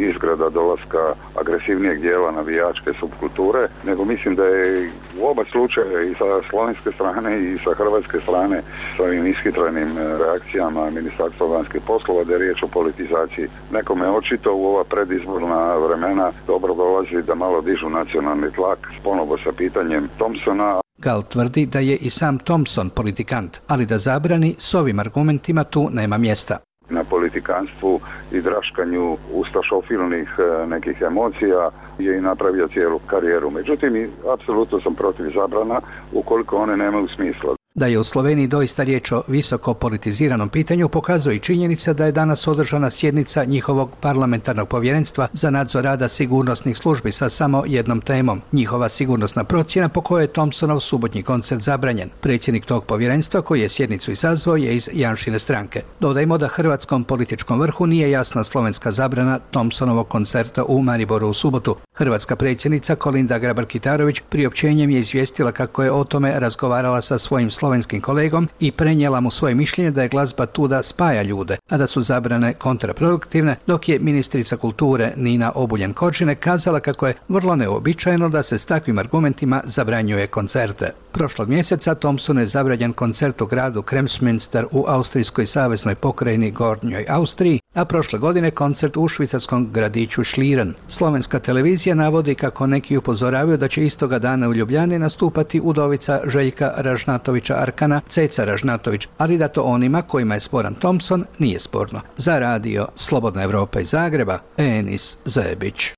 izgrada dolaska agresivnijeg dijela navijačke subkulture, nego mislim da je u oba slučaja i sa slovenske strane i sa hrvatske strane s ovim ishitrenim reakcijama Ministarstva vanjskih poslova da je riječ o politizaciji. Nekome očito u ova predizborna vremena dobro dolazi da malo dižu nacionalni tlak ponovo sa pitanjem Thompsona. Gal tvrdi da je i sam Thompson politikant, ali da zabrani s ovim argumentima tu nema mjesta. Na politikanstvu i draškanju ustašofilnih nekih emocija je i napravio cijelu karijeru. Međutim, apsolutno sam protiv zabrana ukoliko one nemaju smisla. Da je u Sloveniji doista riječ o visoko politiziranom pitanju pokazuje i činjenica da je danas održana sjednica njihovog parlamentarnog povjerenstva za nadzor rada sigurnosnih službi sa samo jednom temom, njihova sigurnosna procjena po kojoj je Thompsonov subotnji koncert zabranjen. Predsjednik tog povjerenstva koji je sjednicu izazvao je iz Janšine stranke. Dodajmo da hrvatskom političkom vrhu nije jasna slovenska zabrana Thompsonovog koncerta u Mariboru u subotu. Hrvatska predsjednica Kolinda Grabar-Kitarović priopćenjem je izvijestila kako je o tome razgovarala sa svojim slovenskim kolegom i prenijela mu svoje mišljenje da je glazba tu da spaja ljude, a da su zabrane kontraproduktivne, dok je ministrica kulture Nina Obuljen-Koržinek kazala kako je vrlo neuobičajeno da se s takvim argumentima zabranjuje koncerte. Prošlog mjeseca Thompsonu je zabranjen koncert u gradu Kremsmünster u austrijskoj saveznoj pokrajini Gornjoj Austriji, a prošle godine koncert u švicarskom gradiću Schlieren. Slovenska televizija navodi kako neki upozoravaju da će istoga dana u Ljubljani nastupati udovica Željka Ražnatovića Arkana, Ceca Ražnatović, ali da to onima kojima je sporan Thompson nije sporno. Za radio Slobodna Evropa iz Zagreba, Enis Zebić.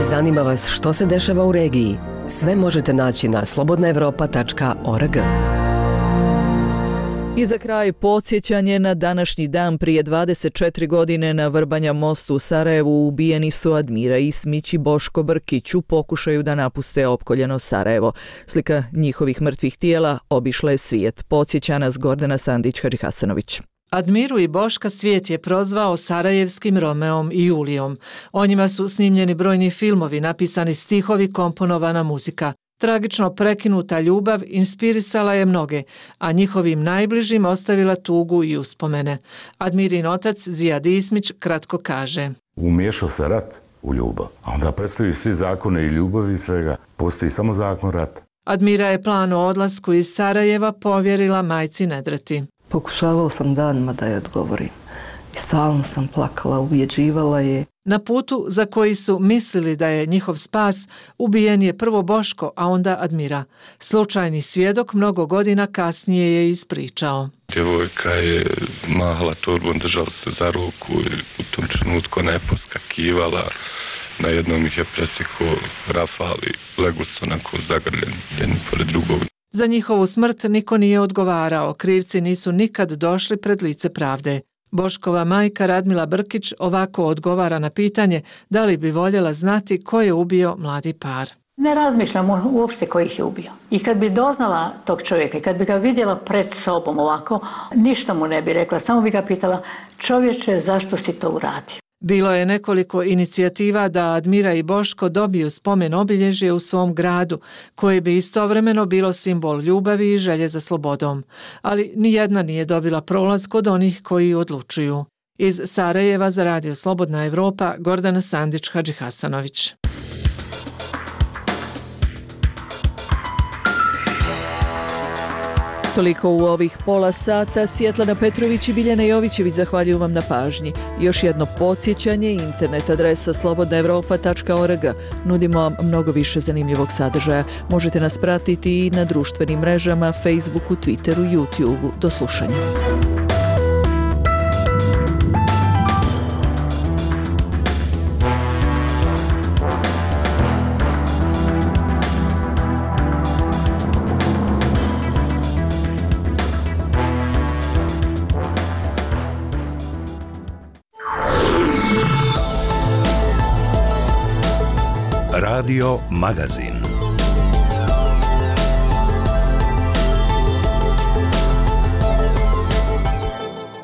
Zanima vas što se dešava u regiji? Sve možete naći na slobodna evropa tačka org. I za kraj podsjećanje na današnji dan prije dvadeset četiri godine na Vrbanja mostu u Sarajevu ubijeni su Admira Ismić i Boško Brkić u pokušaju da napuste opkoljeno Sarajevo. Slika njihovih mrtvih tijela obišla je svijet. Podsjeća nas Gordana Sandić-Hadžihasanović. Admiru i Boška svijet je prozvao sarajevskim Romeom i Julijom. O njima su snimljeni brojni filmovi, napisani stihovi, komponovana muzika. Tragično prekinuta ljubav inspirisala je mnoge, a njihovim najbližim ostavila tugu i uspomene. Admirin otac Zijad Ismić kratko kaže: Umiješao se rat u ljubav, a onda predstavljaju svi zakone i ljubavi i svega. Postoji samo zakon rata. Admira je plan o odlasku iz Sarajeva povjerila majci Nedrati. Pokušavala sam danima da je odgovorim i stalno sam plakala, ubjeđivala je. Na putu za koji su mislili da je njihov spas, ubijen je prvo Boško, a onda Admira. Slučajni svjedok mnogo godina kasnije je ispričao. Djevojka je mahala torbom, držala se za ruku i u tom trenutku ona je poskakivala. Na jednom ih je presekao rafal i legu su onako zagrljeni jedni pored drugog. Za njihovu smrt niko nije odgovarao, krivci nisu nikad došli pred lice pravde. Boškova majka Radmila Brkić ovako odgovara na pitanje da li bi voljela znati ko je ubio mladi par. Ne razmišljam uopšte ko ih je ubio. I kad bi doznala tog čovjeka i kad bi ga vidjela pred sobom ovako, ništa mu ne bi rekla, samo bi ga pitala: čovječe, zašto si to uradio? Bilo je nekoliko inicijativa da Admira i Boško dobiju spomen obilježje u svom gradu, koje bi istovremeno bilo simbol ljubavi i želje za slobodom. Ali nijedna nije dobila prolaz kod onih koji odlučuju. Iz Sarajeva za radio Slobodna Evropa, Gordana Sandić-Hadžihasanović. Toliko u ovih pola sata. Svjetlana Petrović i Biljana Jovićević zahvaljuju vam na pažnji. Još jedno podsjećanje, internet adresa slobodna evropa tačka org. Nudimo vam mnogo više zanimljivog sadržaja. Možete nas pratiti i na društvenim mrežama, Facebooku, Twitteru, YouTubeu. Do slušanja. Radio Magazin.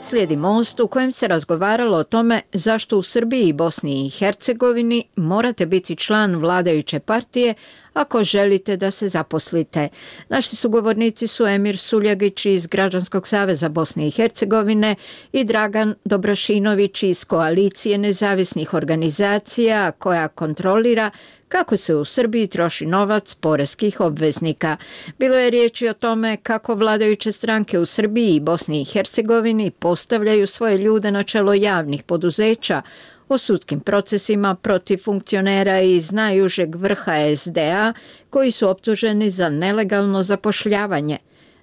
Slijedi Most u kojem se razgovaralo o tome zašto u Srbiji i Bosni i Hercegovini morate biti član vladajuće partije ako želite da se zaposlite. Naši sugovornici su Emir Suljagić iz Građanskog saveza Bosne i Hercegovine i Dragan Dobrašinović iz Koalicije nezavisnih organizacija koja kontrolira kako se u Srbiji troši novac poreskih obveznika. Bilo je riječi o tome kako vladajuće stranke u Srbiji i Bosni i Hercegovini postavljaju svoje ljude na čelo javnih poduzeća, o sudskim procesima protiv funkcionera iz najužeg vrha es de a koji su optuženi za nelegalno zapošljavanje.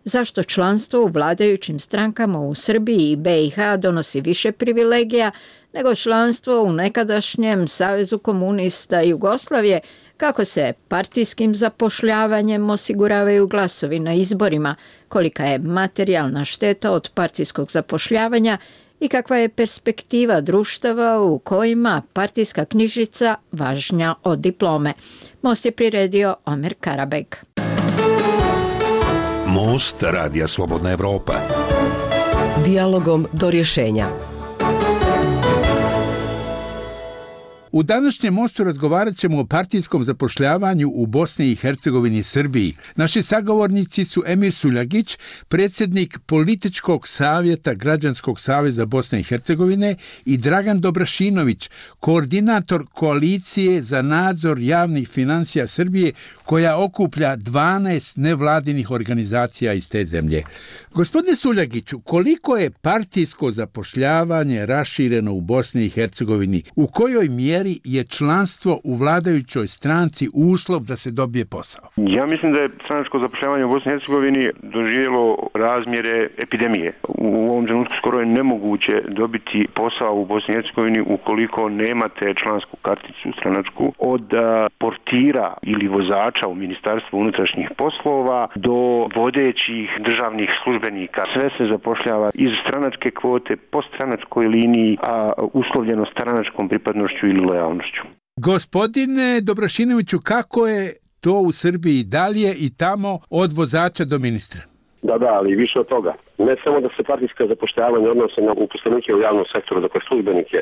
Zašto članstvo u vladajućim strankama u Srbiji i be i ha donosi više privilegija nego članstvo u nekadašnjem Savezu komunista Jugoslavije, kako se partijskim zapošljavanjem osiguravaju glasovi na izborima, kolika je materijalna šteta od partijskog zapošljavanja i kakva je perspektiva društava u kojima partijska knjižica važnja od diplome. Most je priredio Omer Karabeg. Most Radija Slobodna Evropa. Dijalogom do rješenja. U današnjem Mostu razgovarat ćemo o partijskom zapošljavanju u Bosni i Hercegovini i Srbiji. Naši sagovornici su Emir Suljagić, predsjednik Političkog savjeta Građanskog saveza Bosne i Hercegovine, i Dragan Dobrašinović, koordinator Koalicije za nadzor javnih financija Srbije, koja okuplja dvanaest nevladinih organizacija iz te zemlje. Gospodine Suljagiću, koliko je partijsko zapošljavanje rašireno u Bosni i Hercegovini? U kojoj mjeri je članstvo u vladajućoj stranci uslov da se dobije posao? Ja mislim da je stranačko zapošljavanje u Bosni i Hercegovini doživjelo razmjere epidemije. U ovom trenutku skoro je nemoguće dobiti posao u Bosni i Hercegovini ukoliko nemate člansku karticu stranačku, od portira ili vozača u Ministarstvu unutrašnjih poslova do vodećih državnih službenika. Sve se zapošljava iz stranačke kvote, po stranačkoj liniji, a uslovljeno stranačkom pripadnošću ili lojalnošću. Gospodine Dobrašinoviću, kako je to u Srbiji? Da li je i tamo od vozača do ministra? Da, da, ali više od toga. Ne samo da se partijska zapošljavanja odnose na uposlenike u javnom sektoru, dakle službenike,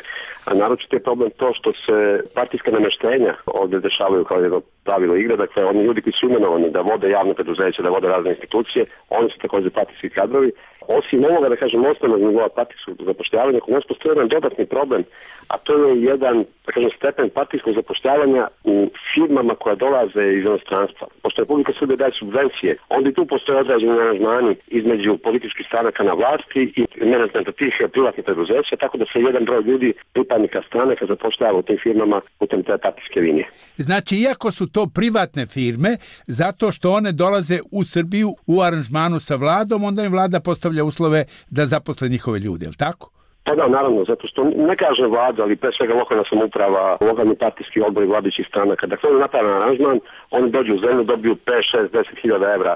a naročito je problem to što se partijska namještenja ovdje dešavaju kao jedno pravilo igre, dakle oni ljudi koji su imenovani da vode javne preduzeća, da vode razne institucije, oni su također partijski kadrovi. Osim ovoga, da kažem, osnovnog nivoa partijskog zapošljavanja, kod nas postoji jedan dodatni problem, a to je jedan, da kažem, stepen partijskog zapošljavanja u firmama koja dolaze iz inostranstva. Pošto Republika Srbija daje subvencije, onda i tu postoje određeni aranžmani između političkih stranaka na vlasti i menadžmenta tih privatnih preduzeća, tako da se jedan broj ljudi, pripadnika stranaka, zapošljava u tim firmama putem te partijske linije. Znači, iako su to privatne firme, zato što one dolaze u Srbiju u aranžmanu sa vladom, onda im vlada postavlja uslove da zaposle njihove ljude, je li tako? Pa da, naravno, zato što ne kaže vlada, ali pre svega lokalna samouprava, lokalni partijski odbori vladajućih stranaka. Dakle, oni napravljaju aranžman, oni dođu u zemlju, dobiju pet, šest, deset hiljada evra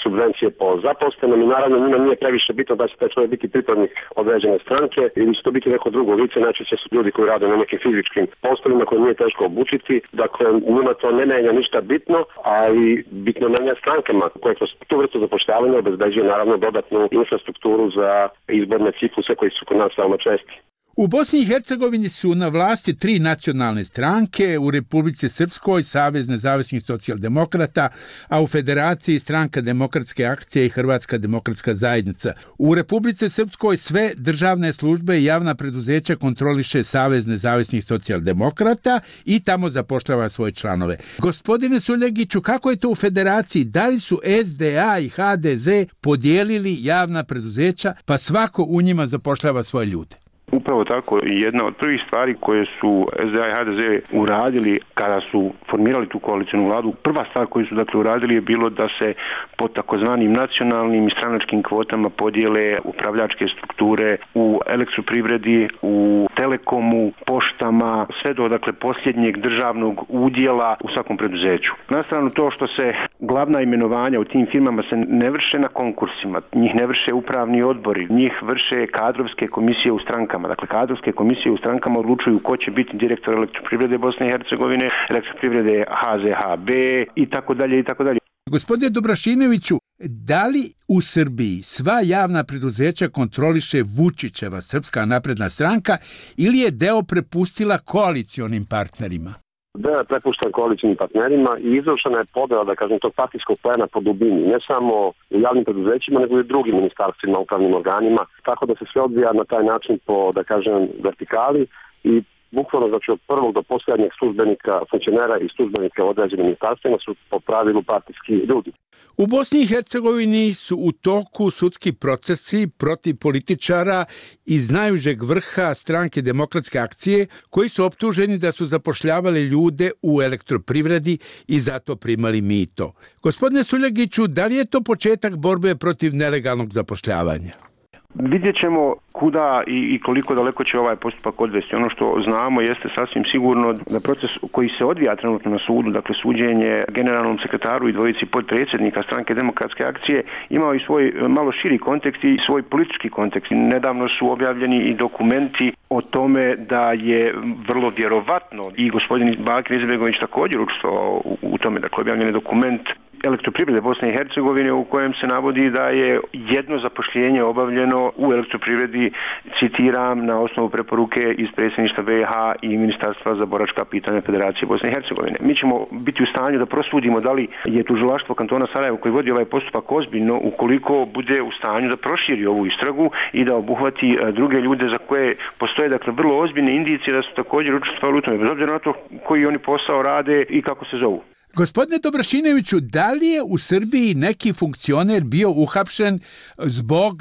subvencije po zaposlenom i naravno njima nije previše bitno da će taj čovjek biti pripadnik određene stranke ili će to biti neko drugo lice, najčešće su ljudi koji rade na nekim fizičkim poslovima koje nije teško obučiti, dakle njima to ne menja ništa bitno, a i bitno menja strankama koje kroz tu vrstu zapošljavanja obezbeđuju naravno dodatnu infrastrukturu za izborne cikluse koji su kod nas veoma česti. U Bosni i Hercegovini su na vlasti tri nacionalne stranke, u Republici Srpskoj Savez nezavisnih socijaldemokrata, a u Federaciji Stranka demokratske akcije i Hrvatska demokratska zajednica. U Republici Srpskoj sve državne službe i javna preduzeća kontroliše Savez nezavisnih socijaldemokrata i tamo zapošljava svoje članove. Gospodine Suljegiću, kako je to u Federaciji? Da li su S D A i H D Z podijelili javna preduzeća pa svako u njima zapošljava svoje ljude? Upravo tako, jedna od prvih stvari koje su S D A i H D Z uradili kada su formirali tu koalicijnu vladu, prva stvar koju su dakle uradili je bilo da se po takozvanim nacionalnim i stranačkim kvotama podijele upravljačke strukture u elektroprivredi, u telekomu, poštama, sve do dakle posljednjeg državnog udjela u svakom preduzeću. Na stranu to što se glavna imenovanja u tim firmama se ne vrše na konkursima, njih ne vrše upravni odbori, njih vrše kadrovske komisije u strankama. Dakle, kadrovske komisije u strankama odlučuju ko će biti direktor elektroprivrede Bosne i Hercegovine, elektroprivrede H Z H B i tako dalje i tako dalje. Gospodine Dobrašinoviću, da li u Srbiji sva javna preduzeća kontroliše Vučićeva Srpska napredna stranka ili je deo prepustila koalicionim partnerima? Deo je prepušten koalicijnim partnerima i izvršena je podela, da kažem, tog partijskog plena po dubini, ne samo u javnim preduzećima, nego i u drugim ministarstvima, upravnim organima, tako da se sve odvija na taj način po, da kažem, vertikali i bukvalno, znači, od prvog do posljednjeg službenika, funkcionera i službenika u određenim ministarstvima su po pravilu partijski ljudi. U Bosni i Hercegovini su u toku sudski procesi protiv političara iz najužeg vrha Stranke demokratske akcije koji su optuženi da su zapošljavali ljude u elektroprivredi i zato primali mito. Gospodine Suljegiću, da li je to početak borbe protiv nelegalnog zapošljavanja? Vidjet ćemo kuda i, i koliko daleko će ovaj postupak odvesti. Ono što znamo jeste sasvim sigurno da proces koji se odvija trenutno na sudu, dakle suđenje generalnom sekretaru i dvojici potpredsjednika Stranke demokratske akcije, imao i svoj malo širi kontekst i svoj politički kontekst. Nedavno su objavljeni i dokumenti o tome da je vrlo vjerovatno i gospodin Bakir Izetbegović također učestvovao u, u tome, dakle objavljen je dokument elektroprivrede Bosne i Hercegovine u kojem se navodi da je jedno zapošljenje obavljeno u elektroprivredi, citiram, na osnovu preporuke iz predsjedništva B i H i Ministarstva za boračka pitanja Federacije Bosne i Hercegovine. Mi ćemo biti u stanju da prosudimo da li je tužilaštvo kantona Sarajevo koji vodi ovaj postupak ozbiljno ukoliko bude u stanju da proširi ovu istragu i da obuhvati druge ljude za koje postoje dakle vrlo ozbiljne indicije da su također učestvovali u tome, bez obzira na to koji oni posao rade i kako se zovu. Gospodine Dobrašinoviću, da li je u Srbiji neki funkcioner bio uhapšen zbog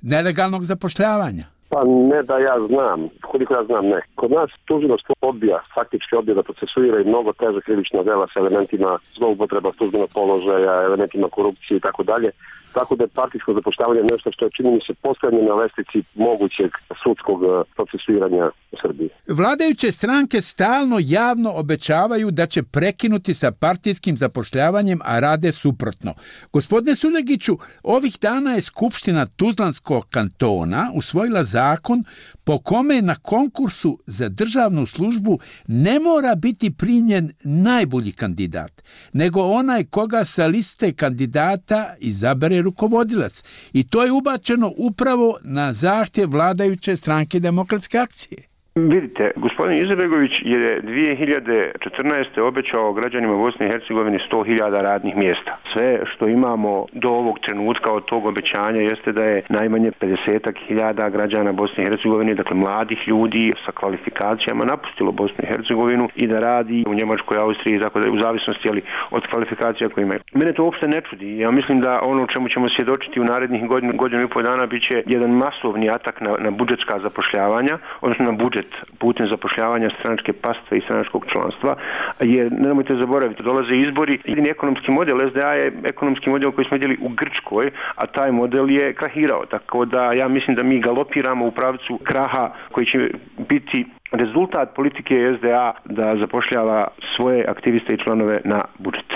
nelegalnog zapošljavanja? Pa ne da ja znam, koliko ja znam ne. Kod nas tužilaštvo odbija, faktički odbija da procesuira i mnogo teže krivična dela sa elementima zloupotreba službenog položaja, elementima korupcije i tako dalje. Tako da je partijsko zapošljavanje nešto što je, čini mi se, posljednje na lestvici mogućeg sudskog procesuiranja u Srbiji. Vladajuće stranke stalno javno obećavaju da će prekinuti sa partijskim zapošljavanjem, a rade suprotno. Gospodine Suljegiću, ovih dana je Skupština Tuzlanskog kantona usvojila zakon po kome na konkursu za državnu službu ne mora biti primljen najbolji kandidat, nego onaj koga sa liste kandidata izabere rukovodilac. I to je ubačeno upravo na zahtjev vladajuće Stranke demokratske akcije. Vidite, gospodin Izetbegović je dvije hiljade četrnaeste. obećao građanima Bosne i Hercegovine sto hiljada radnih mjesta. Sve što imamo do ovog trenutka od tog obećanja jeste da je najmanje pedeset hiljada građana Bosne i Hercegovine, dakle mladih ljudi sa kvalifikacijama, napustilo Bosnu i Hercegovinu i da radi u Njemačkoj, Austriji, tako da je u zavisnosti ali, od kvalifikacija koje imaju. Mene to uopšte ne čudi. Ja mislim da ono čemu ćemo svjedočiti u narednih godinu, godinu i pol dana bit će jedan masovni atak na, na budžetska zapošljavanja, odnosno na budžet putem zapošljavanja stranačke pastve i stranačkog članstva, jer nemojte zaboraviti, dolaze izbori. Jedini ekonomski model S D A je ekonomski model koji smo vidjeli u Grčkoj, a taj model je krahirao. Tako da ja mislim da mi galopiramo u pravcu kraha koji će biti rezultat politike S D A da zapošljava svoje aktiviste i članove na budžet.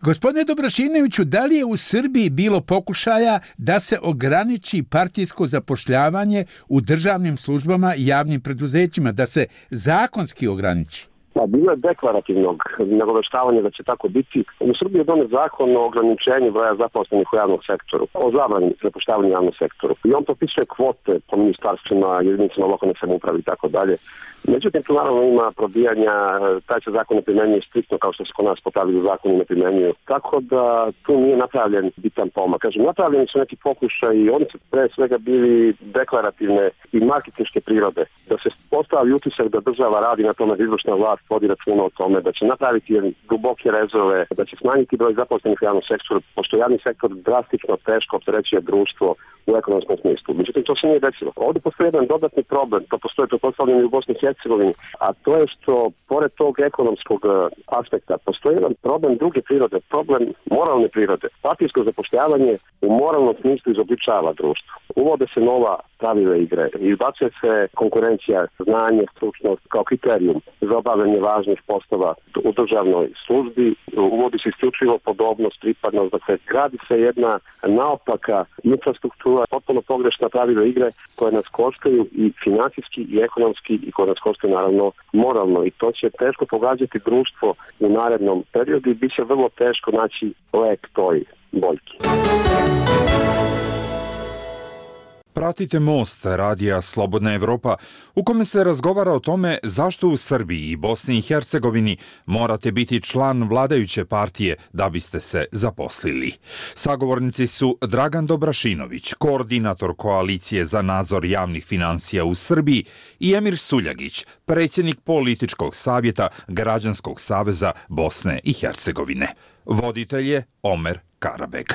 Gospodine Dobrašinoviću, da li je u Srbiji bilo pokušaja da se ograniči partijsko zapošljavanje u državnim službama i javnim preduzećima, da se zakonski ograniči? Pa bilo je deklarativnog nagoveštavanja da će tako biti. U Srbiji je donet zakon o ograničenju broja zaposlenih u javnom sektoru, o zabrani zapošljavanja u javnom sektoru. I on propisuje kvote po ministarstvima, jedinicama lokalne samouprave i tako dalje. Međutim, tu naravno ima probijanja, taj se zakon ne primjenjuje striktno kao što se kod nas po pravilu zakoni ne primjenjuju. Tako da tu nije napravljen bitan pomak. Kažem, napravljeni su neki pokušaj i oni su pre svega bili deklarativne i marketinške prirode. Da se postavi utisak da država radi na tome, da izvršna vlast vodi računa o tome, da će napraviti duboke rezove, da će smanjiti broj zaposlenih u javnom sektoru, pošto javni sektor drastično teško opterećuje društvo u ekonomskom smislu. Međutim, to se nije desilo. Ovdje postoji jedan dodatni problem, to postoji pretpostavljeno i u Bosni i Hercegovini, a to je što, pored tog ekonomskog aspekta, postoji jedan problem druge prirode, problem moralne prirode. Partijsko zapošljavanje u moralnom smislu izobličava društvo. Uvode se nova pravila igre, izbacuje se konkurencija, znanje, stručnost kao kriterijum za obavljanje važnih poslova u državnoj službi, uvodi se isključivo podobnost, pripadnost, dakle gradi se jedna naopaka infrastruktura, potpuno pogrešna pravila igre koje nas koštaju i financijski i ekonomski i koje nas koštaju naravno moralno i to će teško pogađati društvo u narednom periodu i bit će vrlo teško naći lek toj boljki. Pratite Most, radija Slobodna Evropa, u kome se razgovara o tome zašto u Srbiji i Bosni i Hercegovini morate biti član vladajuće partije da biste se zaposlili. Sagovornici su Dragan Dobrašinović, koordinator Koalicije za nadzor javnih financija u Srbiji, i Emir Suljagić, predsjednik političkog savjeta Građanskog saveza Bosne i Hercegovine. Voditelj je Omer Karabeg.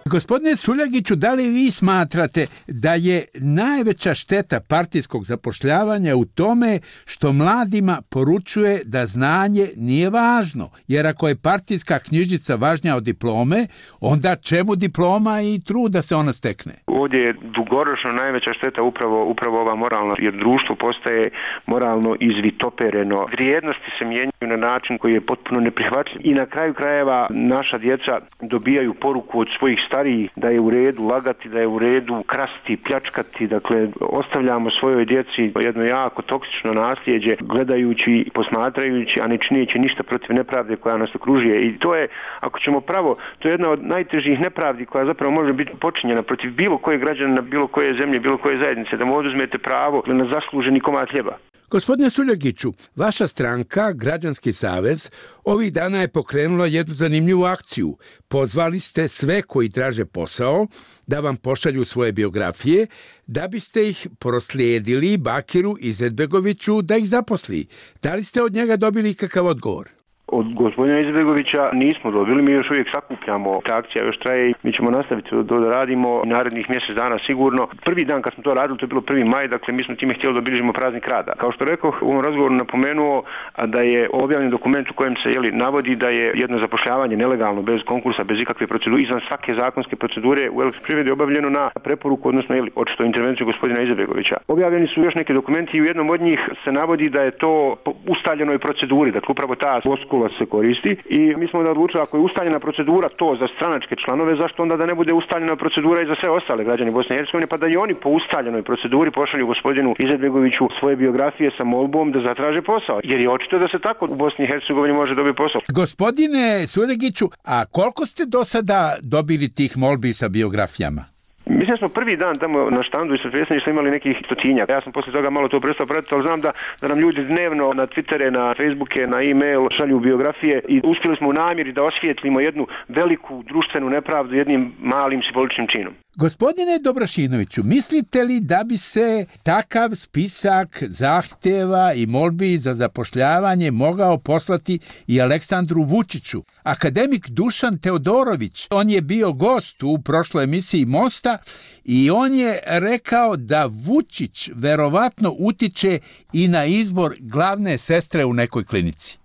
Gospodine Suljagiću, da li vi smatrate da je najveća šteta partijskog zapošljavanja u tome što mladima poručuje da znanje nije važno? Jer ako je partijska knjižica važnija od diplome, onda čemu diploma i trud da se ona stekne? Ovdje je dugoročno najveća šteta upravo, upravo ova moralna, jer društvo postaje moralno izvitopereno. Vrijednosti se mijenjaju na način koji je potpuno neprihvatljiv. I na kraju krajeva naša djeca dobijaju poruku od svojih stariji da je u redu lagati, da je u redu krasti, pljačkati, dakle ostavljamo svojoj djeci jedno jako toksično nasljeđe gledajući, posmatrajući, a ne čineći ništa protiv nepravde koja nas okružuje. I to je, ako ćemo pravo, to je jedna od najtežih nepravdi koja zapravo može biti počinjena protiv bilo koje građana, bilo koje zemlje, bilo koje zajednice, da mu oduzmete pravo na zasluženi komad hljeba. Gospodine Suljagiću, vaša stranka, Građanski savez, ovih dana je pokrenula jednu zanimljivu akciju. Pozvali ste sve koji traže posao da vam pošalju svoje biografije, da biste ih proslijedili Bakiru Izetbegoviću da ih zaposli. Da li ste od njega dobili kakav odgovor? Od gospodina Izetbegovića nismo dobili, mi još uvijek sakupljamo, ta akcija još traje i mi ćemo nastaviti to da radimo narednih mjesec dana sigurno. Prvi dan kad smo to radili, to je bilo prvi maj, dakle mi smo time htjeli da obilježimo praznik rada. Kao što rekao, u ovom razgovoru napomenuo da je objavljen dokument u kojem se jeli, navodi da je jedno zapošljavanje nelegalno, bez konkursa, bez ikakve procedure, izvan svake zakonske procedure u Elektroprivredi obavljeno na preporuku, odnosno jeli, očito intervenciju gospodina Izetbegovića. Objavljeni su još neki dokumenti i u jednom od njih se navodi da je to po ustaljenoj proceduri, dakle upravo ta floskula se koristi i mi smo onda odlučili ako je ustaljena procedura to za stranačke članove, zašto onda da ne bude ustaljena procedura i za sve ostale građane Bosne i Hercegovine, pa da i oni po ustaljenoj proceduri pošalju gospodinu Izetbegoviću svoje biografije sa molbom da zatraže posao, jer je očito da se tako u Bosni i Hercegovini može dobiti posao. Gospodine Suljagiću, a koliko ste do sada dobili tih molbi sa biografijama? Mislim da smo prvi dan tamo na štandu i sa predsjedništva imali nekih stotinjak. Ja sam poslije toga malo to prestao pratiti, ali znam da, da nam ljudi dnevno na Twittere, na Facebooke, na e-mail šalju biografije i uspjeli smo u namjeri da osvijetlimo jednu veliku društvenu nepravdu jednim malim simboličnim činom. Gospodine Dobrašinoviću, mislite li da bi se takav spisak zahtjeva i molbi za zapošljavanje mogao poslati i Aleksandru Vučiću? Akademik Dušan Teodorović, on je bio gost u prošloj emisiji Mosta i on je rekao da Vučić verovatno utiče i na izbor glavne sestre u nekoj klinici.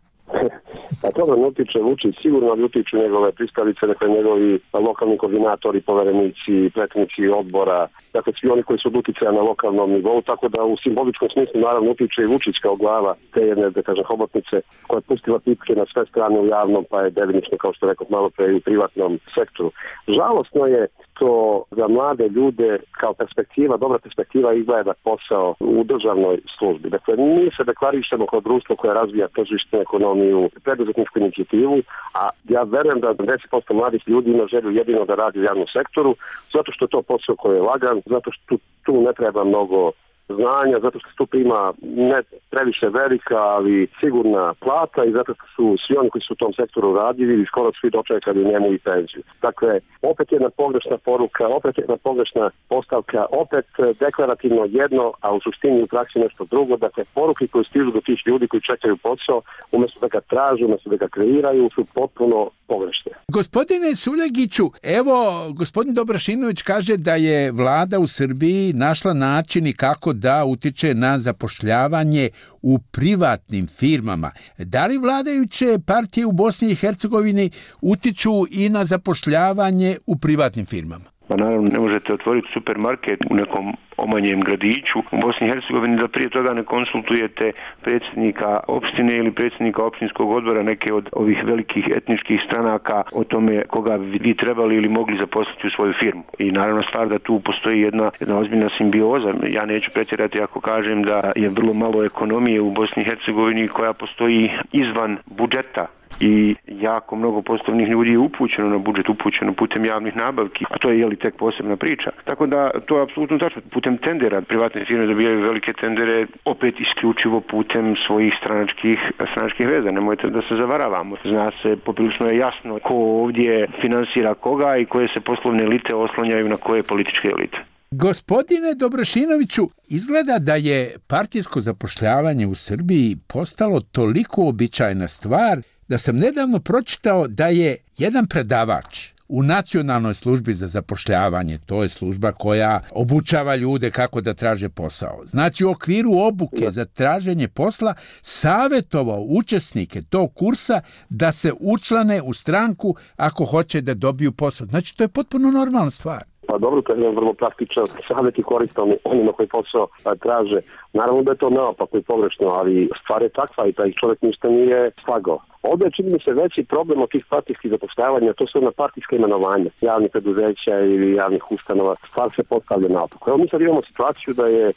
A to ne utiče Vučić, sigurno ne utiču njegove pristalice, dakle njegovi lokalni koordinatori, poverenici, predsjednici odbora, dakle svi oni koji su od uticaja na lokalnom nivou, tako da u simboličkom smislu naravno utiče i Vučić kao glava te jedne, da kažem, hobotnice koja je pustila pipke na sve strane u javnom, pa je delimično, kao što rekao malo pre, i u privatnom sektoru. Žalosno je što za mlade ljude kao perspektiva, dobra perspektiva izgleda posao u državnoj službi. Dakle, mi se deklarišemo kao društvo koje razvija tržišnu ekonomiju, preduzetničku inicijativu, a ja verujem da deset posto mladih ljudi ima želju jedino da radi u javnom sektoru, zato što je to posao koji je lagan, zato što tu, tu ne treba mnogo znanja, zato što se tu prima ne previše velika, ali sigurna plata i zato što su svi oni koji su u tom sektoru radili i skoro svi dočekali njemu i penziju. Dakle, opet jedna pogrešna poruka, opet jedna pogrešna postavka, opet deklarativno jedno, a u suštini u praksi nešto drugo. Dakle, poruke koje stižu do tih ljudi koji čekaju posao, umjesto da ga traže, umjesto da ga kreiraju, su potpuno pogrešne. Gospodine Suljagiću, evo, gospodin Dobrašinović kaže da je vlada u Srbiji našla način kako da utiče na zapošljavanje u privatnim firmama. Da li vladajuće partije u Bosni i Hercegovini utiču i na zapošljavanje u privatnim firmama? Pa naravno ne možete otvoriti supermarket u nekom omanjem gradiću u Bosni i Hercegovini da prije toga ne konsultujete predsjednika opštine ili predsjednika opštinskog odbora neke od ovih velikih etničkih stranaka o tome koga bi vi trebali ili mogli zaposliti u svoju firmu. I naravno stvar da tu postoji jedna, jedna ozbiljna simbioza. Ja neću pretjerati ako kažem da je vrlo malo ekonomije u Bosni i Hercegovini koja postoji izvan budžeta i jako mnogo poslovnih ljudi je upućeno na budžet, upućeno putem javnih nabavki, a to je jeli tek posebna priča. Tako da to je apsolutno tačno. Putem tendera privatne firme dobijaju velike tendere opet isključivo putem svojih stranačkih, stranačkih veza. Nemojte da se zavaravamo. Zna se, poprilično je jasno ko ovdje finansira koga i koje se poslovne elite oslanjaju na koje političke elite. Gospodine Dobrašinoviću, izgleda da je partijsko zapošljavanje u Srbiji postalo toliko običajna stvar da sam nedavno pročitao da je jedan predavač u Nacionalnoj službi za zapošljavanje, to je služba koja obučava ljude kako da traže posao. Znači u okviru obuke za traženje posla savjetovao učesnike tog kursa da se učlane u stranku ako hoće da dobiju posao. Znači to je potpuno normalna stvar. Pa dobro, to je jedan vrlo praktičan savjet i koristan onima koji posao traže. Naravno da je to neopako i pogrešno, ali stvar je takva i taj čovjek ništa nije slagao. Ovdje je čini mi se veći problem od tih partijskih zapošljavanja, to su ona partijska imenovanja javnih preduzeća ili javnih ustanova. Stvar se postavlja naopako. Evo mi sad imamo situaciju da je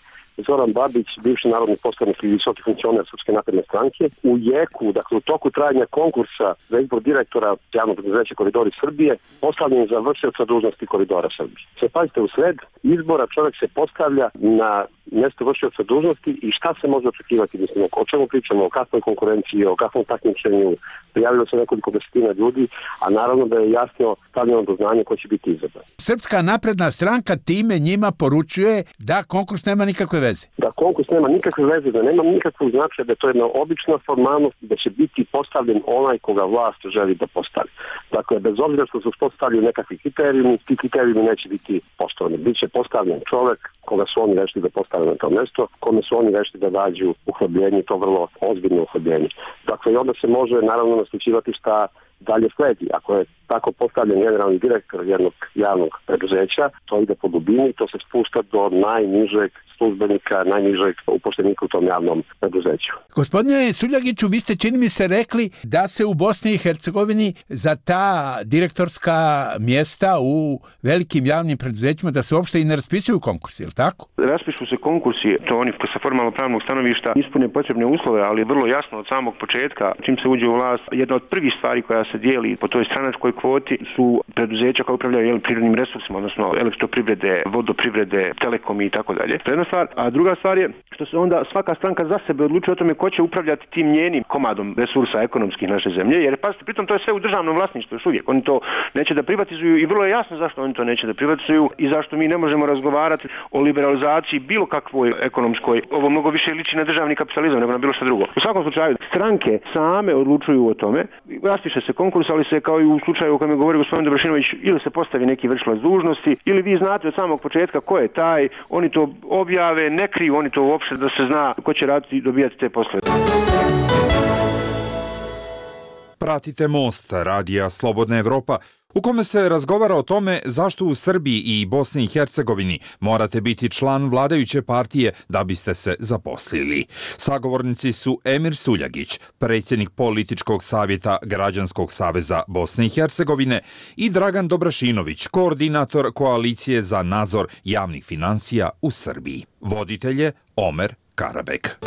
Zoran Babić, bivši narodni poslanik i visoki funkcioner Srpske napredne stranke, u jeku, dakle u toku trajanja konkursa za izbor direktora javnog preduzeća Koridori Srbije, postavljen za vršioca dužnosti Koridora Srbije. Se pazite, u sred izbora čovjek se postavlja na mjesto vršioca dužnosti i šta se može očekivati, mislim, o čemu pričamo, o kakvoj konkurenciji, o kakvom takmičenju, prijavilo se nekoliko desetina ljudi, a naravno da je jasno stavljeno do znanja ko će biti izabran. Srpska napredna stranka time njima poručuje da konkurs nema nikakve veze. Da konkurs nema nikakve veze, da nema nikakvog značaja, da je to jedna obična formalnost, da će biti postavljen onaj koga vlast želi da postavi. Dakle, bez obzira što su postavljeni nekakvi kriterijumi, ti kriterijumi neće biti postavljeni. Biće postavljen čovjek koga su oni rešili da postave na to mjesto, kome su oni rešili da dađu uhljebljenje, to vrlo ozbiljno uhljebljenje. Dakle, i onda se može naravno naslučivati šta dalje sledi. Ako je tako postavljen generalni direktor jednog javnog preduzeća, to ide po dubini, to se spušta do najnižeg službenika, najnižeg upošljenika u tom javnom preduzeću. Gospodine Suljagiću, vi ste čini mi se rekli da se u Bosni i Hercegovini za ta direktorska mjesta u velikim javnim preduzećima da se uopšte i ne raspisuju konkursi, je li tako? Raspišu se konkursi, to oni sa formalno pravnog stanovišta ispune potrebne uslove, ali vrlo jasno od samog početka, čim se uđe u vlast, jedna od prvih stvari koja se dijeli po toj stranačkoj kvoti su preduzeća koja upravljaju jel, prirodnim resursima, odnosno elektroprivrede, vodoprivrede, telekomi i tako dalje. Jedna stvar, a druga stvar je što se onda svaka stranka za sebe odlučuje o tome ko će upravljati tim njenim komadom resursa ekonomskih naše zemlje, jer pazite, pritom to je sve u državnom vlasništvu još uvijek. Oni to neće da privatizuju i vrlo je jasno zašto oni to neće da privatizuju i zašto mi ne možemo razgovarati o liberalizaciji bilo kakvoj ekonomskoj. Ovo mnogo više liči na državni kapitalizam nego na bilo što drugo. U svakom slučaju, stranke same odlučuju o tome, raspiše se konkurs, ali se kao i u slučaju o kojem je govorio gospodin Dobrašinović, ili se postavi neki vršilac dužnosti, ili vi znate od samog početka ko je taj, oni to objave, ne kriju oni to uopšte da se zna ko će raditi i dobijati te poslove. Pratite Most, radija Slobodna Evropa, u kome se razgovara o tome zašto u Srbiji i Bosni i Hercegovini morate biti član vladajuće partije da biste se zaposlili. Sagovornici su Emir Suljagić, predsjednik političkog savjeta Građanskog saveza Bosne i Hercegovine, i Dragan Dobrašinović, koordinator koalicije za nadzor javnih financija u Srbiji. Voditelj je Omer Karabek.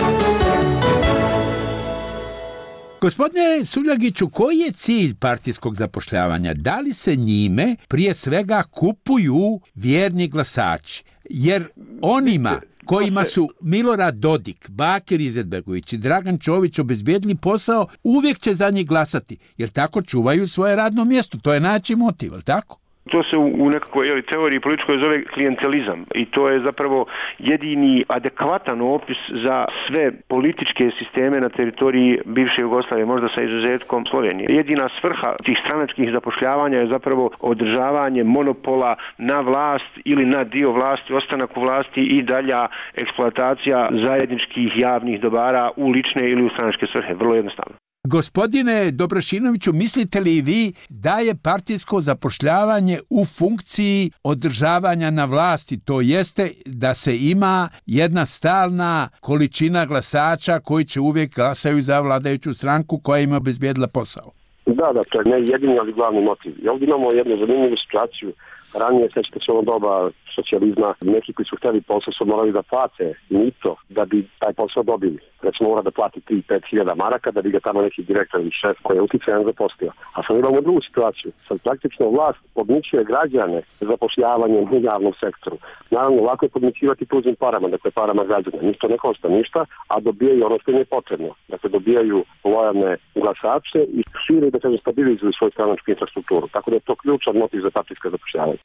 Gospodine Suljagiću, koji je cilj partijskog zapošljavanja? Da li se njime prije svega kupuju vjerni glasači? Jer onima kojima su Milorad Dodik, Bakir Izetbegović i Dragan Čović obezbijedili posao, uvijek će za njih glasati, jer tako čuvaju svoje radno mjesto. To je način motiv, je li tako? To se u nekakvoj jeli, teoriji političkoj zove klijentelizam i to je zapravo jedini adekvatan opis za sve političke sisteme na teritoriji bivše Jugoslavije, možda sa izuzetkom Slovenije. Jedina svrha tih stranačkih zapošljavanja je zapravo održavanje monopola na vlast ili na dio vlasti, ostanak u vlasti i dalja eksploatacija zajedničkih javnih dobara u lične ili u stranačke svrhe. Vrlo jednostavno. Gospodine Dobrašinoviću, mislite li vi da je partijsko zapošljavanje u funkciji održavanja na vlasti, to jeste da se ima jedna stalna količina glasača koji će uvijek glasaju za vladajuću stranku koja im obezbijedila posao? Da, da, to je ne jedini, ali glavni motiv. I ovdje imamo jednu zanimljivu situaciju. Ranije, sećate se ono doba socijalizma, neki koji su htjeli posao su morali da plate mito da bi taj posao dobili. Recimo mora da plati tri do pet hiljada maraka da bi ga tamo neki direktor ili šef koji je uticajan zaposlio. A sad imamo drugu situaciju. Sad praktično vlast podmićuje građane zapošljavanjem u javnom sektoru. Naravno, lako je podmićivati tuđim parama, dakle parama građana. Njih to ne košta ništa, a dobijaju ono što im je potrebno. Dakle, dobijaju lojalne glasače i šire da kažem stabilizuju svoju stranačku infrastrukturu. Tako da je to ključan motiv za partijsko zapošljavanje.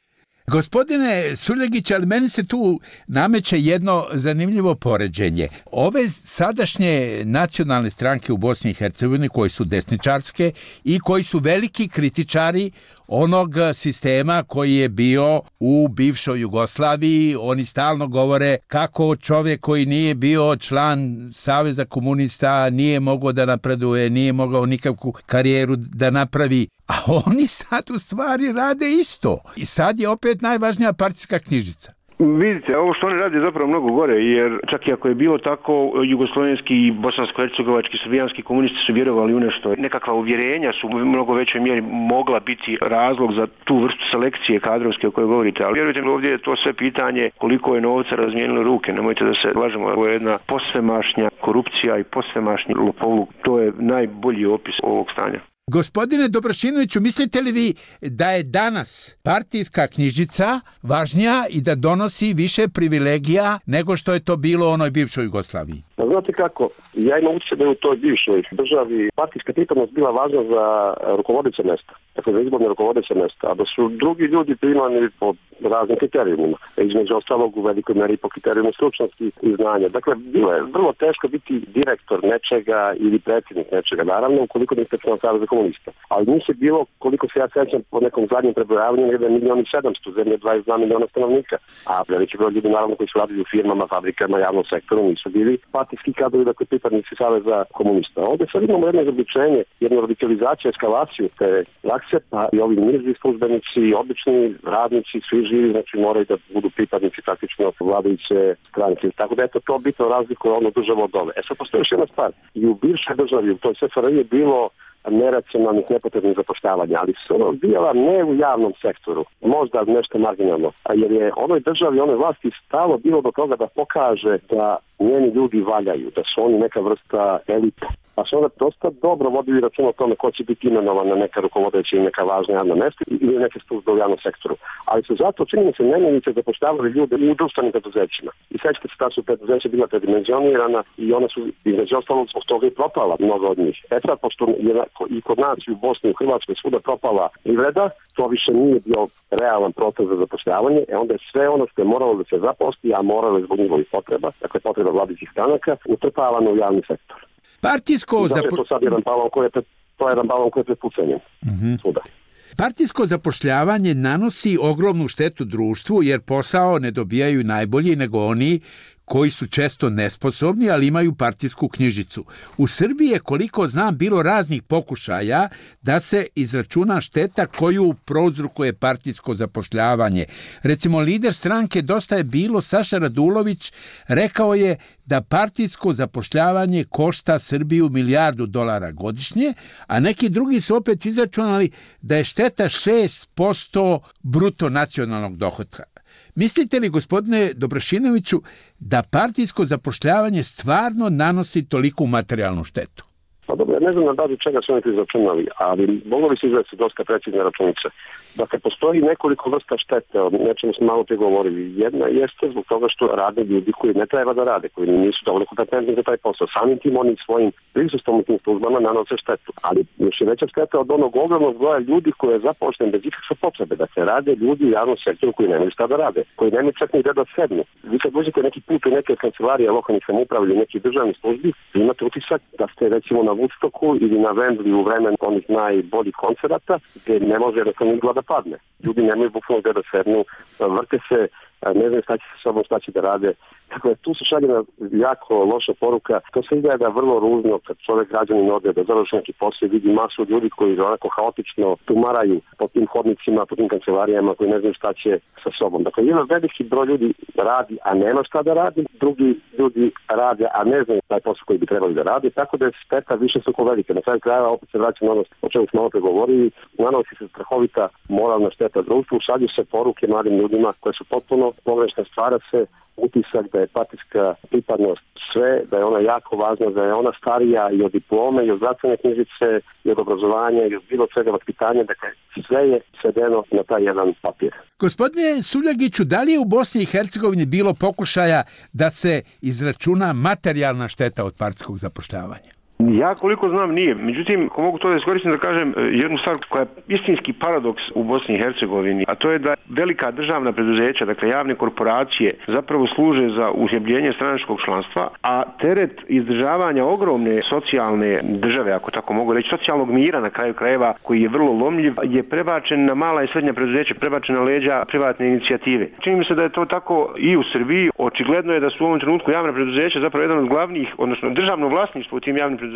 Gospodine Suljagić, ali meni se tu nameće jedno zanimljivo poređenje. Ove sadašnje nacionalne stranke u Bosni i Hercegovini koji su desničarske i koji su veliki kritičari onog sistema koji je bio u bivšoj Jugoslaviji, oni stalno govore kako čovjek koji nije bio član Saveza komunista nije mogao da napreduje, nije mogao nikakvu karijeru da napravi. A oni sad u stvari rade isto. I sad je opet najvažnija partijska knjižica. Vidite, ovo što oni rade je zapravo mnogo gore, jer čak i ako je bilo tako, jugoslovenski i bosansko-hercegovački, srbijanski komunisti su vjerovali u nešto. Nekakva uvjerenja su u mnogo većoj mjeri mogla biti razlog za tu vrstu selekcije kadrovske o kojoj govorite. Ali vjerujte, ovdje je to sve pitanje koliko je novca razmijenilo ruke. Nemojte da se lažemo, ovo je jedna posvemašnja korupcija i posvemašnji lopovluk. To je najbolji opis ovog stanja. Gospodine Dobrašinoviću, mislite li vi da je danas partijska knjižica važnija i da donosi više privilegija nego što je to bilo u onoj bivšoj Jugoslaviji? Znate kako, ja imam utjecaj da je u toj bivšoj državi partijska pripadnost bila važna za rukovodeće mjesta, dakle za izborne rukovodeće mjesta, a da su drugi ljudi primani po raznim kriterijumima, između ostalog u velikoj meri po kriterijumu stručnosti i znanja. Dakle, bilo je vrlo teško biti direktor nečega ili predsjednik nečega, naravno, ukoliko niste član Saveza komunista. Ali njih je bilo, koliko se ja sećam po nekom zadnjem prebrojavanju, jedan milion i sedamsto, zemlje dvadeset dva miliona stanovnika. A veliki broj ljudi, naravno, koji su radili u firmama, fabrikama, javnom sektoru, nisu bili partijski kadrovi, dakle pripadnici Saveza komunista. Ovdje sad imamo jedno izobličenje, jednu radikalizaciju, eskalaciju te prakse, pa i ovi niži službenici, obični radnici, svi živi, znači moraju da budu pripadnici praktično vladajuće stranke. Tako da eto to bitno razlikuje ono državu od ove. E sad postoji još jedna stvar. I u bivšoj državi, u toj S F R I je bilo neracionalnih, nepotrebnih zapošljavanja, ali su ono bila ne u javnom sektoru, možda nešto marginalno, jer je onoj državi, onoj vlasti stalo bilo do toga da pokaže da njeni ljudi valjaju, da su oni neka vrsta elita. Pa su onda dosta dobro vodili račun o tome ko će biti imenovan na neka rukovodeća i neka važna javna mjesta ili neke službe u javnom sektoru. Ali su zato činjeni se nemenice zapošljavali ljude i u društvenim preduzećima. I sećate se da su preduzeća bila predimenzionirana i ona su između ostalog zbog toga i propala mnogo od njih. E sad, pošto je i kod nas i u Bosni i u Hrvatskoj svuda propala privreda, to više nije bio realan proces za zapošljavanje, e onda je sve ono što je moralo da se zaposli, a moralo je zbog njihovih potreba, dakle potreba vladajućih stranaka, utrpavano u javni sektor. Partijsko zapo... to sad jedan balon koji je pred, to je jedan balon koji je pred pucanjem. Mm-hmm. Partijsko zapošljavanje nanosi ogromnu štetu društvu jer posao ne dobijaju najbolji nego oni koji su često nesposobni, ali imaju partijsku knjižicu. U Srbiji je, koliko znam, bilo raznih pokušaja da se izračuna šteta koju prouzrokuje partijsko zapošljavanje. Recimo, lider stranke Dosta je bilo, Saša Radulović, rekao je da partijsko zapošljavanje košta Srbiju milijardu dolara godišnje, a neki drugi su opet izračunali da je šteta šest posto bruto nacionalnog dohotka. Mislite li, gospodine Dobrašinoviću, da partijsko zapošljavanje stvarno nanosi toliku materijalnu štetu? Pa dobro, ja ne znam na bazi čega su oni to izračunali, ali moglo bi se izvesti dosta precizne računice. Dakle, postoji nekoliko vrsta štete, o nečemu smo malo pregovorili. Jedna jeste zbog toga što rade ljudi koji ne treba da rade, koji nisu dovoljno kompetentni za taj posao. Samim tim onim svojim prisustvom u tim službama nanose štetu. Ali još je veća šteta od onog ogromnog broja ljudi koji je zapošljen bez ikakve potrebe. Dakle, rade ljudi u javnom sektoru koji nemaju šta da rade, koji nemaju čak ni gde da sednu. Vi kad dođete neki put u neke kancelarije lokalnih samouprava ili nekih državnih službi, imate utisak da ste recimo na Woodstocku ili na Wembley u vremenu onih najboljih koncerata gdje ne može jednostavno igla da padne. Ljudi nemaju bukvalno gdje da sednu, vrte se, ne znam šta će sa sobom, šta će da rade. Dakle, tu se šalje na jako loša poruka. To se izgleda vrlo ružno kad čovjek građanin ode da završi neki posao i vidi masu ljudi koji onako haotično tumaraju po tim hodnicima, po tim kancelarijama koji ne znaju šta će sa sobom. Dakle, jedan veliki broj ljudi radi, a nema šta da radi, drugi ljudi rade, a ne znaju taj posao koji bi trebali da radi, tako da je šteta više suko velike. Na kraju krajeva opet se vraća na ono o čemu smo malo pregovorili, nanosi se strahovita moralna šteta društvu, šalju se poruke mladim ljudima koje su potpuno pogrešne, stvara se utisak da je partijska pripadnost sve, da je ona jako važna, da je ona starija i od diplome, i od zdravstvene knjižice, i od obrazovanja, i od bilo svega vaspitanja, dakle sve je svedeno na taj jedan papir. Gospodine Suljagiću, da li je u Bosni i Hercegovini bilo pokušaja da se izračuna materijalna šteta od partijskog zapošljavanja? Ja koliko znam nije. Međutim, ako mogu to da iskoristim da kažem jednu stvar koja je istinski paradoks u Bosni i Hercegovini, a to je da velika državna preduzeća, dakle javne korporacije, zapravo služe za uhljebljenje stranačkog članstva, a teret izdržavanja ogromne socijalne države, ako tako mogu reći, socijalnog mira na kraju krajeva, koji je vrlo lomljiv, je prebačen na mala i srednja preduzeća, prebačen na leđa privatne inicijative. Čini mi se da je to tako i u Srbiji. Očigledno je da su u ovom trenutku javna preduzeća zapravo jedan od glavnih, odnosno državno vlasništvo u tim javnim preduzećima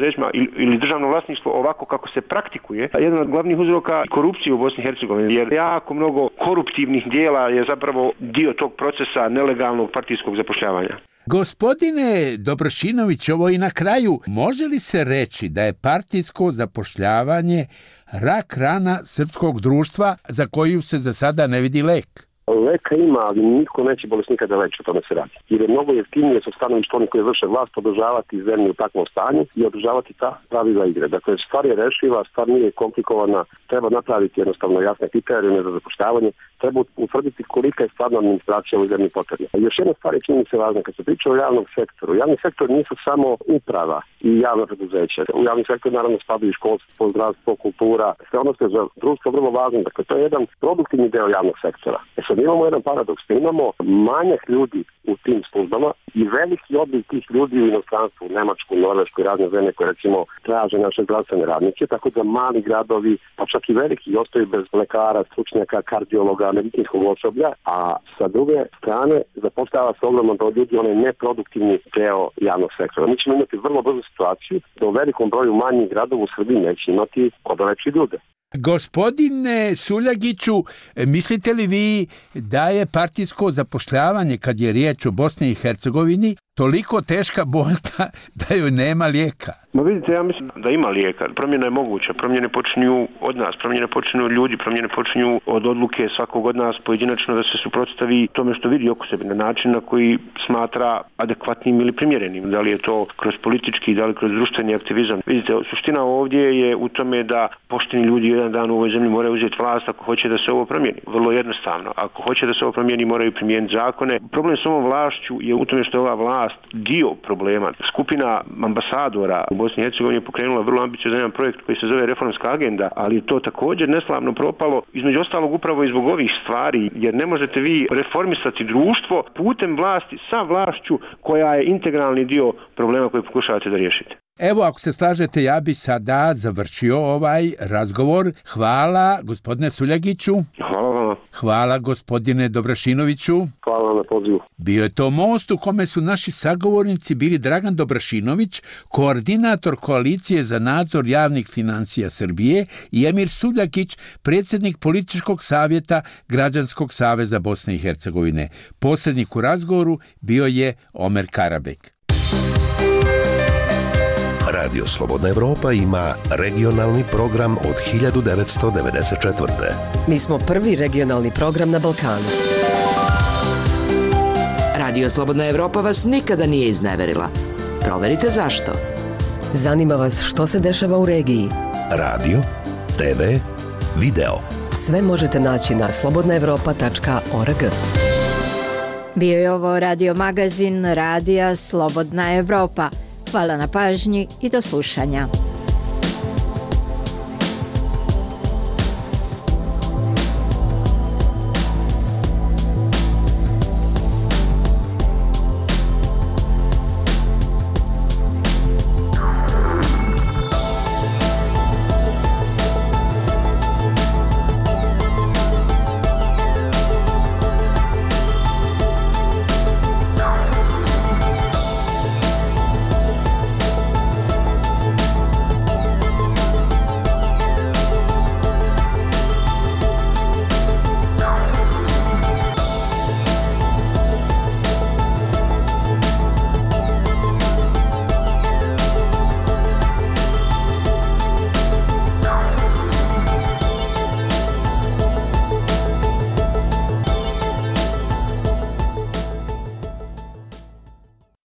ili državno vlasništvo ovako kako se praktikuje, jedan od glavnih uzroka korupcije u Bosni i Hercegovini, jer jako mnogo koruptivnih dijela je zapravo dio tog procesa nelegalnog partijskog zapošljavanja. Gospodine Dobrašinović, ovo i na kraju, može li se reći da je partijsko zapošljavanje rak rana srpskog društva za koju se za sada ne vidi lek? Leka ima, ali niko neće bolesnika da leči, o tome se radi. Jer je mnogo jeftinije sa stanovišta onih koji vrše vlast održavati zemlju u takvom stanju i održavati ta pravila igre. Dakle, stvar je rešiva, stvar nije komplikovana, treba napraviti jednostavno jasne kriterije za zapošljavanje, treba utvrditi kolika je stvarno administracija u zemlji potrebna. Još jedna stvar je čini mi se važna, kad se priča o javnom sektoru. Javni sektor nisu samo uprava i javna preduzeća. U javni sektor naravno spadaju školstvo, zdravstvo, kultura, sve ono što je za društvo vrlo važno. Dakle, to je jedan produktivni deo javnog sektora. E sad imamo jedan paradoks, imamo manjak ljudi u tim službama i veliki odliv tih ljudi u inostranstvu, u Nemačku, Norvešku i razne zemlje koje recimo traže naše zdravstvene radnike, tako da mali gradovi, pa čak i veliki, ostaju bez lekara, stručnjaka, kardiologa, medicinskog osoblja, a sa druge strane zapošljava se ogromno broj ljudi, onaj neproduktivni deo javnog sektora. Mi ćemo imati vrlo brzu situaciju da u velikom broju manjih gradova u Srbiji neće imati ko da leči ljude. Gospodine Suljagiću, mislite li vi da je partijsko zapošljavanje, kad je riječ o Bosni i Hercegovini, toliko teška boljka da joj nema lijeka? Ma vidite, ja mislim da ima lijeka. Promjena je moguća. Promjene počinju od nas, promjene počinju od ljudi, promjene počinju od odluke svakog od nas pojedinačno da se suprotstavi tome što vidi oko sebe na način na koji smatra adekvatnim ili primjerenim. Da li je to kroz politički, da li kroz društveni aktivizam. Vidite, suština ovdje je u tome da pošteni ljudi jedan dan u ovoj zemlji moraju uzeti vlast ako hoće da se ovo promijeni. Vrlo jednostavno. Ako hoće da se ovo promijeni, moraju primijeniti zakone. Problem s ovom vlašću je u tome što je ova vlast dio problema. Skupina ambasadora u Bosni i Hercegovini je pokrenula vrlo ambiciozan jedan projekt koji se zove Reformska agenda, ali je to također neslavno propalo, između ostalog upravo i zbog ovih stvari, jer ne možete vi reformisati društvo putem vlasti sa vlašću koja je integralni dio problema koji pokušavate da riješite. Evo, ako se slažete, ja bi sada završio ovaj razgovor. Hvala, gospodine Suljagiću. Hvala vama. Hvala gospodine Dobrašinoviću. Hvala na pozivu. Bio je to most u kome su naši sagovornici bili Dragan Dobrašinović, koordinator Koalicije za nadzor javnih financija Srbije, i Emir Suljakić, predsjednik političkog savjeta Građanskog saveza Bosne i Hercegovine. Posrednik u razgovoru bio je Omer Karabek. Radio Slobodna Evropa ima regionalni program od hiljadu devetsto devedeset četvrte. Mi smo prvi regionalni program na Balkanu. Radio Slobodna Evropa vas nikada nije izneverila. Proverite zašto. Zanima vas što se dešava u regiji. Radio, te ve, video. Sve možete naći na slobodna evropa tačka org. Bio je ovo radio magazin Radija Slobodna Evropa. Hvala na pažnji i do slušanja.